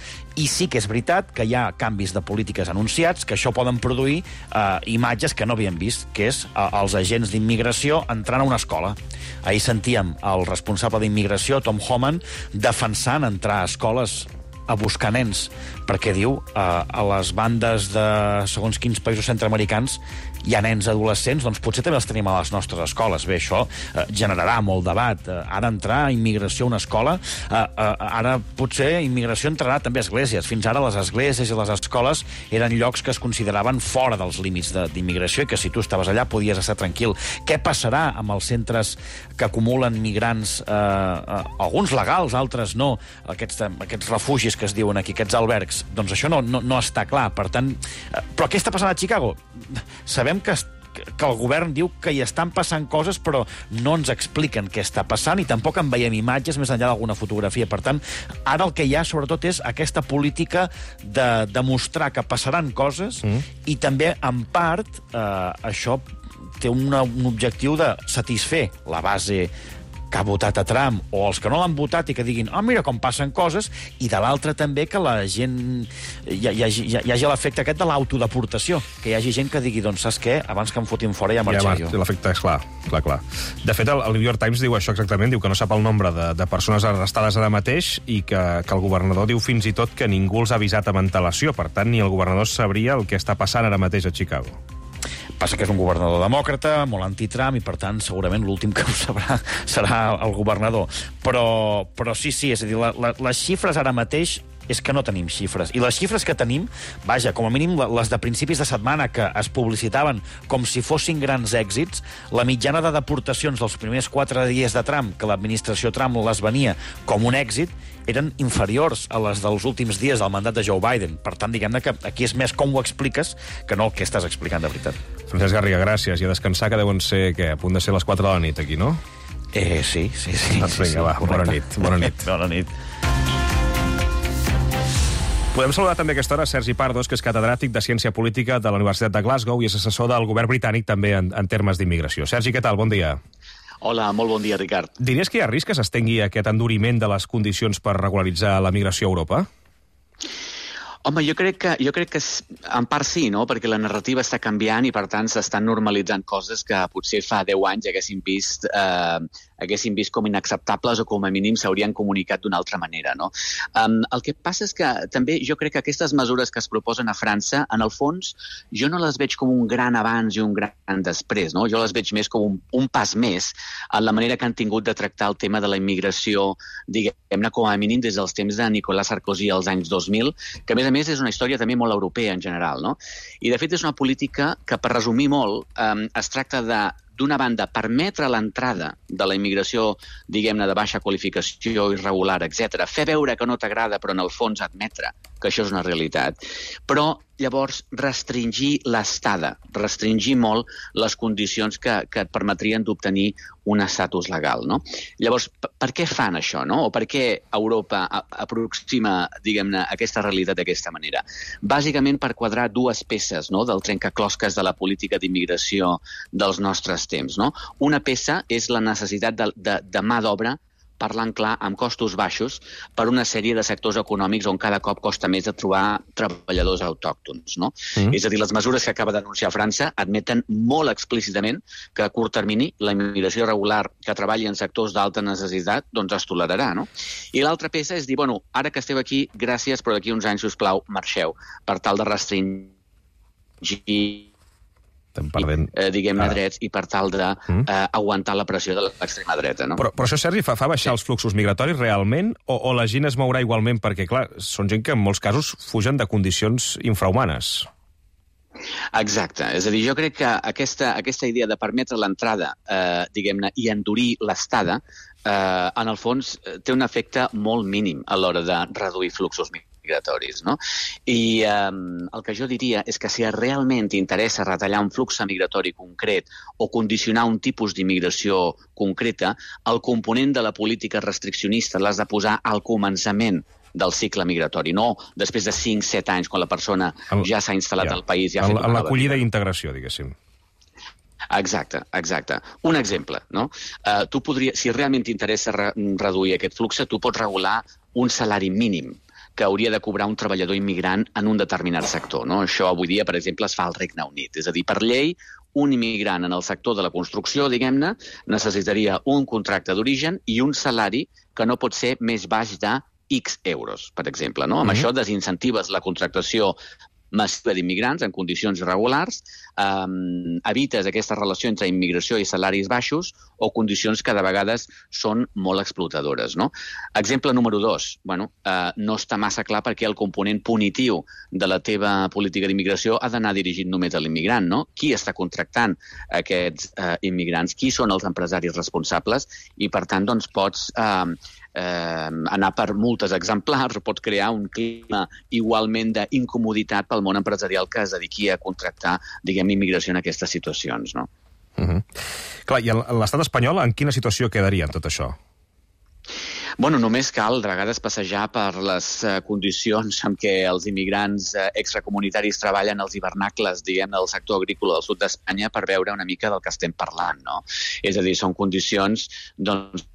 I sí que és veritat que hi ha canvis de polítiques anunciats, que això poden produir eh, imatges que no havíem vist, que és eh, els agents d'immigració entrant a una escola. Ahir sentíem el responsable d'immigració, Tom Homan, defensant entrar a escoles a buscar nens, perquè diu eh, a les bandes de segons quins països centreamericans hi ha nens adolescents, doncs potser també els tenim a les nostres escoles. Bé, això eh, generarà molt debat. Eh, ha d'entrar immigració a una escola, eh, eh, ara potser immigració entrarà també a esglésies. Fins ara les esglésies i les escoles eren llocs que es consideraven fora dels límits d'immigració i que si tu estaves allà podies estar tranquil. Què passarà amb els centres que acumulen migrants, eh, eh, alguns legals, altres no, aquests, aquests refugis que es diuen aquí, aquests albergs? Doncs això no, no, no està clar. Per tant, eh, però què està passant a Chicago? Sabem que que el govern diu que hi estan passant coses, però no ens expliquen què està passant i tampoc en veiem imatges més enllà d'alguna fotografia. Per tant, ara el que hi ha, sobretot, és aquesta política de demostrar que passaran coses mm. i també, en part, eh, això té una, un objectiu de satisfer la base que ha votat a Trump, o els que no l'han votat i que diguin, ah, oh, mira com passen coses, i de l'altre també que la gent hi, hi, hagi, hi hagi l'efecte aquest de l'autodeportació, que hi hagi gent que digui, doncs saps què, abans que em fotin fora ja marxaré ja, jo. L'efecte és clar, clar, clar. De fet, el, el New York Times diu això exactament, diu que no sap el nombre de, de persones arrestades ara mateix i que, que el governador diu fins i tot que ningú els ha avisat amb antelació, per tant, ni el governador sabria el que està passant ara mateix a Chicago. Passa que és un governador demòcrata, molt anti-Trump, i per tant segurament l'últim que ho sabrà serà el governador. Però, però sí, sí, és a dir, la, la, les xifres ara mateix és que no tenim xifres. I les xifres que tenim, vaja, com a mínim les de principis de setmana que es publicitaven com si fossin grans èxits, la mitjana de deportacions dels primers quatre dies de Trump, que l'administració Trump les venia com un èxit, eren inferiors a les dels últims dies del mandat de Joe Biden. Per tant, diguem-ne que aquí és més com ho expliques que no el que estàs explicant de veritat. Francesc Garriga, gràcies. I a descansar, que deuen ser, què, a punt de ser les quatre de la nit aquí, no? Eh, sí, sí, sí. Doncs vinga, sí, va, correcte. bona nit. Bona nit. Bona nit. Podem saludar també a aquesta hora Sergi Pardos, que és catedràtic de Ciència Política de la Universitat de Glasgow i és assessor del govern britànic també en, en termes d'immigració. Sergi, què tal? Bon dia. Hola, molt bon dia, Ricard. Diries que hi ha risc que s'estengui aquest enduriment de les condicions per regularitzar la migració a Europa? Home, jo crec que, jo crec que en part sí, no? Perquè la narrativa està canviant i, per tant, s'estan normalitzant coses que potser fa deu anys haguéssim vist, eh, haguéssim vist com inacceptables o com a mínim s'haurien comunicat d'una altra manera, no? Um, el que passa és que també jo crec que aquestes mesures que es proposen a França, en el fons, jo no les veig com un gran abans i un gran després, no? Jo les veig més com un, un pas més en la manera que han tingut de tractar el tema de la immigració, diguem-ne, com a mínim des dels temps de Nicolas Sarkozy als anys dos mil, que a més a més és una història també molt europea en general, no? I de fet és una política que, per resumir molt, eh, es tracta de, d'una banda, permetre l'entrada de la immigració, diguem-ne, de baixa qualificació, irregular, etcètera, fer veure que no t'agrada, però en el fons admetre que això és una realitat, però llavors restringir l'estada, restringir molt les condicions que, que et permetrien d'obtenir un estatus legal, no? Llavors, per què fan això, no? O per què Europa aproxima, diguem-ne, aquesta realitat d'aquesta manera? Bàsicament per quadrar dues peces, no?, del trencaclosques de la política d'immigració dels nostres temps, no? Una peça és la necessitat de, de, de mà d'obra, parlant clar, amb costos baixos per una sèrie de sectors econòmics on cada cop costa més de trobar treballadors autòctons, no? Mm. És a dir, les mesures que acaba d'anunciar França admeten molt explícitament que a curt termini la immigració regular que treballi en sectors d'alta necessitat doncs es tolerarà, no? I l'altra peça és dir, bueno, ara que esteu aquí, gràcies, però d'aquí uns anys, sisplau, marxeu, per tal de restringir perdent... eh, diguem-ne, drets i per tal d'aguantar de, eh, la pressió de l'extrema dreta, no? Però, però això, Sergi, fa, fa baixar els fluxos migratoris realment o, o la gent es mourà igualment? Perquè, clar, són gent que en molts casos fugen de condicions infrahumanes. Exacte. És a dir, jo crec que aquesta, aquesta idea de permetre l'entrada, eh, diguem-ne, i endurir l'estada, eh, en el fons té un efecte molt mínim a l'hora de reduir fluxos migratoris. migratoris, no? I eh, el que jo diria és que si realment t'interessa retallar un flux migratori concret o condicionar un tipus d'immigració concreta, el component de la política restriccionista l'has de posar al començament del cicle migratori, no després de cinc set anys, quan la persona el, ja s'ha instal·lat ja, al país. Ja en l'acollida i integració, diguéssim. Exacte, exacte. Un exemple, no? Uh, tu podria, si realment t'interessa re reduir aquest flux, tu pots regular un salari mínim que hauria de cobrar un treballador immigrant en un determinat sector, no? Això avui dia, per exemple, es fa al Regne Unit. És a dir, per llei, un immigrant en el sector de la construcció, diguem-ne, necessitaria un contracte d'origen i un salari que no pot ser més baix de X euros, per exemple, no? Amb mm-hmm. això desincentives la contractació massiva d'immigrants en condicions irregulars, um, evites aquesta relació entre immigració i salaris baixos o condicions que de vegades són molt explotadores, no? Exemple número dos, bueno, uh, no està massa clar perquè el component punitiu de la teva política d'immigració ha d'anar dirigit només a l'immigrant, no? Qui està contractant aquests uh, immigrants? Qui són els empresaris responsables? I, per tant, doncs, pots uh, eh, anar per multes exemplars o pot crear un clima igualment d'incomoditat pel món empresarial que es dediqui a contractar, diguem, immigració en aquestes situacions, no? Uh-huh. Clar, i l'estat espanyol en quina situació quedaria en tot això? Bueno, només cal de vegades passejar per les uh, condicions en què els immigrants uh, extracomunitaris treballen als hivernacles, diguem, del sector agrícola del sud d'Espanya per veure una mica del que estem parlant, no? És a dir, són condicions, doncs,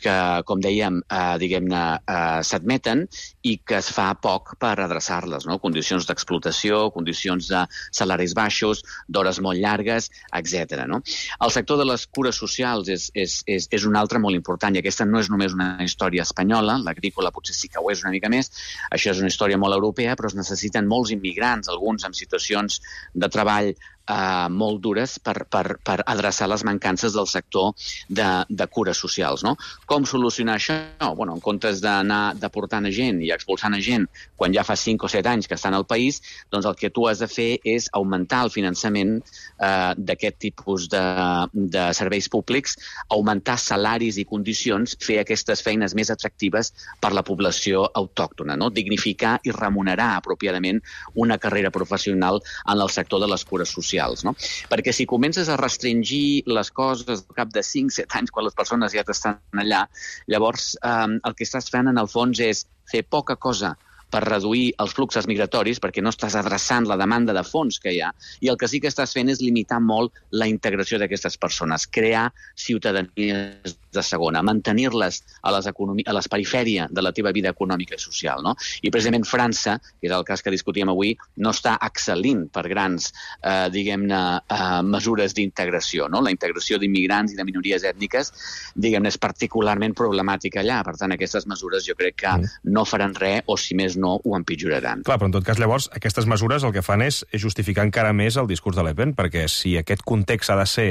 que, com dèiem, eh, diguem-ne, eh, s'admeten i que es fa poc per adreçar-les, no? Condicions d'explotació, condicions de salaris baixos, d'hores molt llargues, etcètera, no? El sector de les cures socials és, és, és, és un altre molt important, i aquesta no és només una història espanyola, l'agrícola potser sí que ho és una mica més, això és una història molt europea, però es necessiten molts immigrants, alguns en situacions de treball Uh, molt dures per, per, per adreçar les mancances del sector de, de cures socials, no? Com solucionar això? Bueno, en comptes d'anar deportant a gent i expulsant a gent quan ja fa cinc o set anys que estan al país, doncs el que tu has de fer és augmentar el finançament uh, d'aquest tipus de, de serveis públics, augmentar salaris i condicions, fer aquestes feines més atractives per la població autòctona, no? Dignificar i remunerar apropiadament una carrera professional en el sector de les cures socials. No? Perquè si comences a restringir les coses al cap de cinc set anys quan les persones ja t'estan allà, llavors eh, el que estàs fent en el fons és fer poca cosa per reduir els fluxos migratoris, perquè no estàs adreçant la demanda de fons que hi ha, i el que sí que estàs fent és limitar molt la integració d'aquestes persones, crear ciutadanies de segona, mantenir-les a les, a les perifèria de la teva vida econòmica i social, no? I precisament França, que és el cas que discutíem avui, no està excel·lint per grans, eh, diguem-ne, eh, mesures d'integració, no? La integració d'immigrants i de minories ètniques, diguem-ne, és particularment problemàtica allà. Per tant, aquestes mesures jo crec que no faran res, o si més no, ho empitjoraran. Clar, però en tot cas, llavors, aquestes mesures el que fan és, és justificar encara més el discurs de Le Pen, perquè si aquest context ha de ser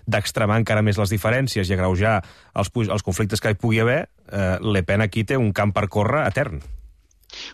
d'extremar encara més les diferències i agreujar els, els conflictes que hi pugui haver, eh, Le Pen aquí té un camp per córrer etern.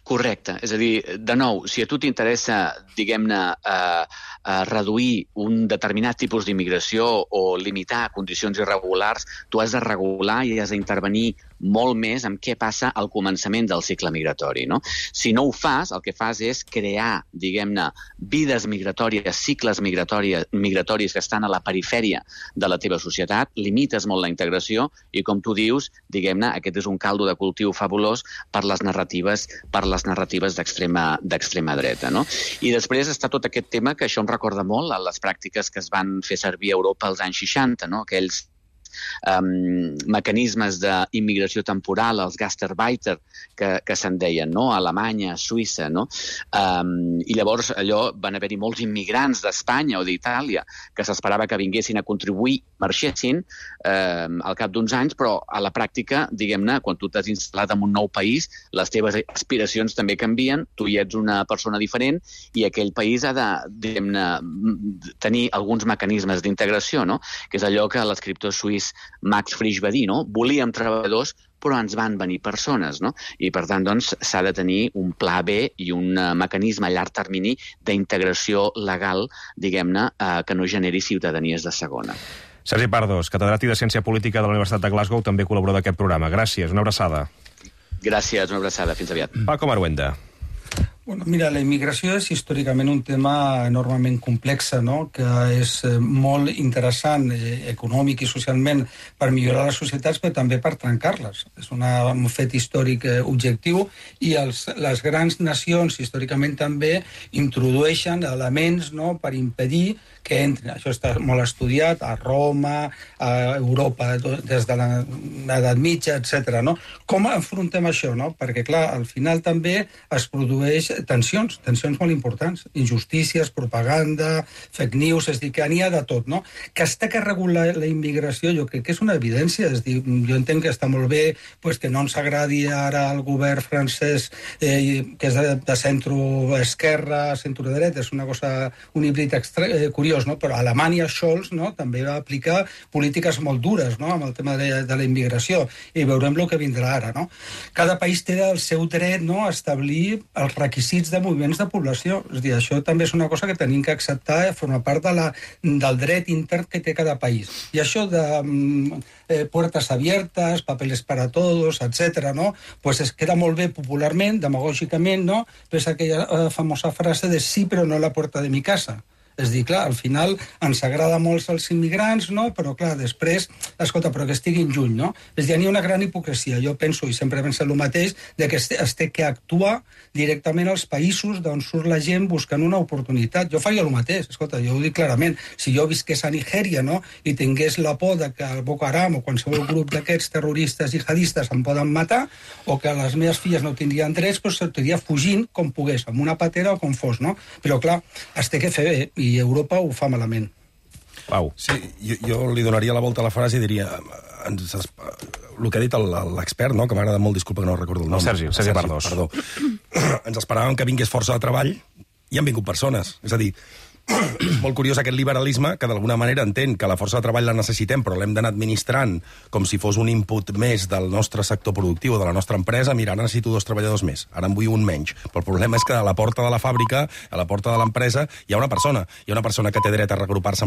Correcte. És a dir, de nou, si a tu t'interessa, diguem-ne, eh, eh, reduir un determinat tipus d'immigració o limitar condicions irregulars, tu has de regular i has d'intervenir molt més en què passa al començament del cicle migratori, no? Si no ho fas, el que fas és crear, diguem-ne, vides migratòries, cicles migratoris, migratoris que estan a la perifèria de la teva societat, limites molt la integració i, com tu dius, diguem-ne, aquest és un caldo de cultiu fabulós per les narratives per les narratives d'extrema d'extrema dreta, no? I després està tot aquest tema que això em recorda molt a les pràctiques que es van fer servir a Europa als anys seixanta, no? Aquells Um, mecanismes d'immigració temporal, els Gastarbeiter, que, que se'n deien, no? A Alemanya, a Suïssa, no? Um, I llavors allò van haver-hi molts immigrants d'Espanya o d'Itàlia que s'esperava que vinguessin a contribuir, marxessin um, al cap d'uns anys, però a la pràctica, diguem-ne, quan tu t'has instal·lat en un nou país, les teves aspiracions també canvien, tu hi ets una persona diferent i aquell país ha de, diguem-ne, tenir alguns mecanismes d'integració, no? Que és allò que l'escriptor suís Max Frisch va dir, no? Volíem treballadors, però ens van venir persones, no? I, per tant, doncs, s'ha de tenir un pla B i un uh, mecanisme a llarg termini d'integració legal, diguem-ne, uh, que no generi ciutadanies de segona. Sergi Pardos, catedràtic de Ciència Política de la Universitat de Glasgow, també col·laborador d'aquest programa. Gràcies, una abraçada. Gràcies, una abraçada. Fins aviat. Paco Maruenda. Bueno, mira, la immigració és històricament un tema enormement complex, no? Que és molt interessant eh, econòmic i socialment per millorar les societats, però també per trencar-les. És una, un fet històric eh, objectiu i els, les grans nacions històricament també introdueixen elements, no?, per impedir que entrin. Això està molt estudiat a Roma, a Europa, des de l'edat mitja, etcètera. No? Com enfrontem això? No? Perquè, clar, al final també es produeix tensions, tensions molt importants, injustícies, propaganda, fake news, és dir, que n'hi ha de tot, no? Que està que regular la immigració, jo crec que és una evidència, és dir, jo entenc que està molt bé pues, que no ens agradi ara el govern francès, eh, que és de, de centro-esquerra, centro-dreta, és una cosa, un híbrid extra, eh, curiós, curiós, no? Però Alemanya, Scholz, no? també va aplicar polítiques molt dures, no? amb el tema de, de la immigració, i veurem el que vindrà ara. No? Cada país té el seu dret, no? a establir els requisits de moviments de població. És a dir, això també és una cosa que tenim que acceptar, eh? forma part de la, del dret intern que té cada país. I això de eh, puertas abiertas, papeles para todos, etcètera, no? Pues es queda molt bé popularment, demagògicament, no? Però és aquella eh, famosa frase de sí, però no a la puerta de mi casa. És dir, clar, al final ens agrada molt els immigrants, no? Però, clar, després, escolta, però que estiguin lluny, no? És dir, hi ha una gran hipocresia. Jo penso, i sempre penso el mateix, de que es té, es té que actuar directament als països d'on surt la gent buscant una oportunitat. Jo faria el mateix, escolta, jo ho dic clarament. Si jo visqués a Nigèria, no?, i tingués la por de que el Boko Haram o qualsevol grup d'aquests terroristes jihadistes em poden matar, o que les meves filles no tindrien drets, doncs sortiria fugint com pogués, amb una patera o com fos, no? Però, clar, es té que fer bé, i Europa ho fa malament. Pau. Sí, jo, jo li donaria la volta a la frase i diria... Ens, el que ha dit l'expert, no? que m'agrada molt, disculpa que no recordo el nom. El Sergi, el Sergi Pardós. Perdó. Ens esperàvem que vingués força de treball i han vingut persones. És a dir, és molt curiós aquest liberalisme que d'alguna manera entén que la força de treball la necessitem, però l'hem d'anar administrant com si fos un input més del nostre sector productiu o de la nostra empresa. Mira, ara necessito dos treballadors més, ara en vull un menys. Però el problema és que a la porta de la fàbrica, a la porta de l'empresa, hi ha una persona. Hi ha una persona que té dret a regrupar-se amb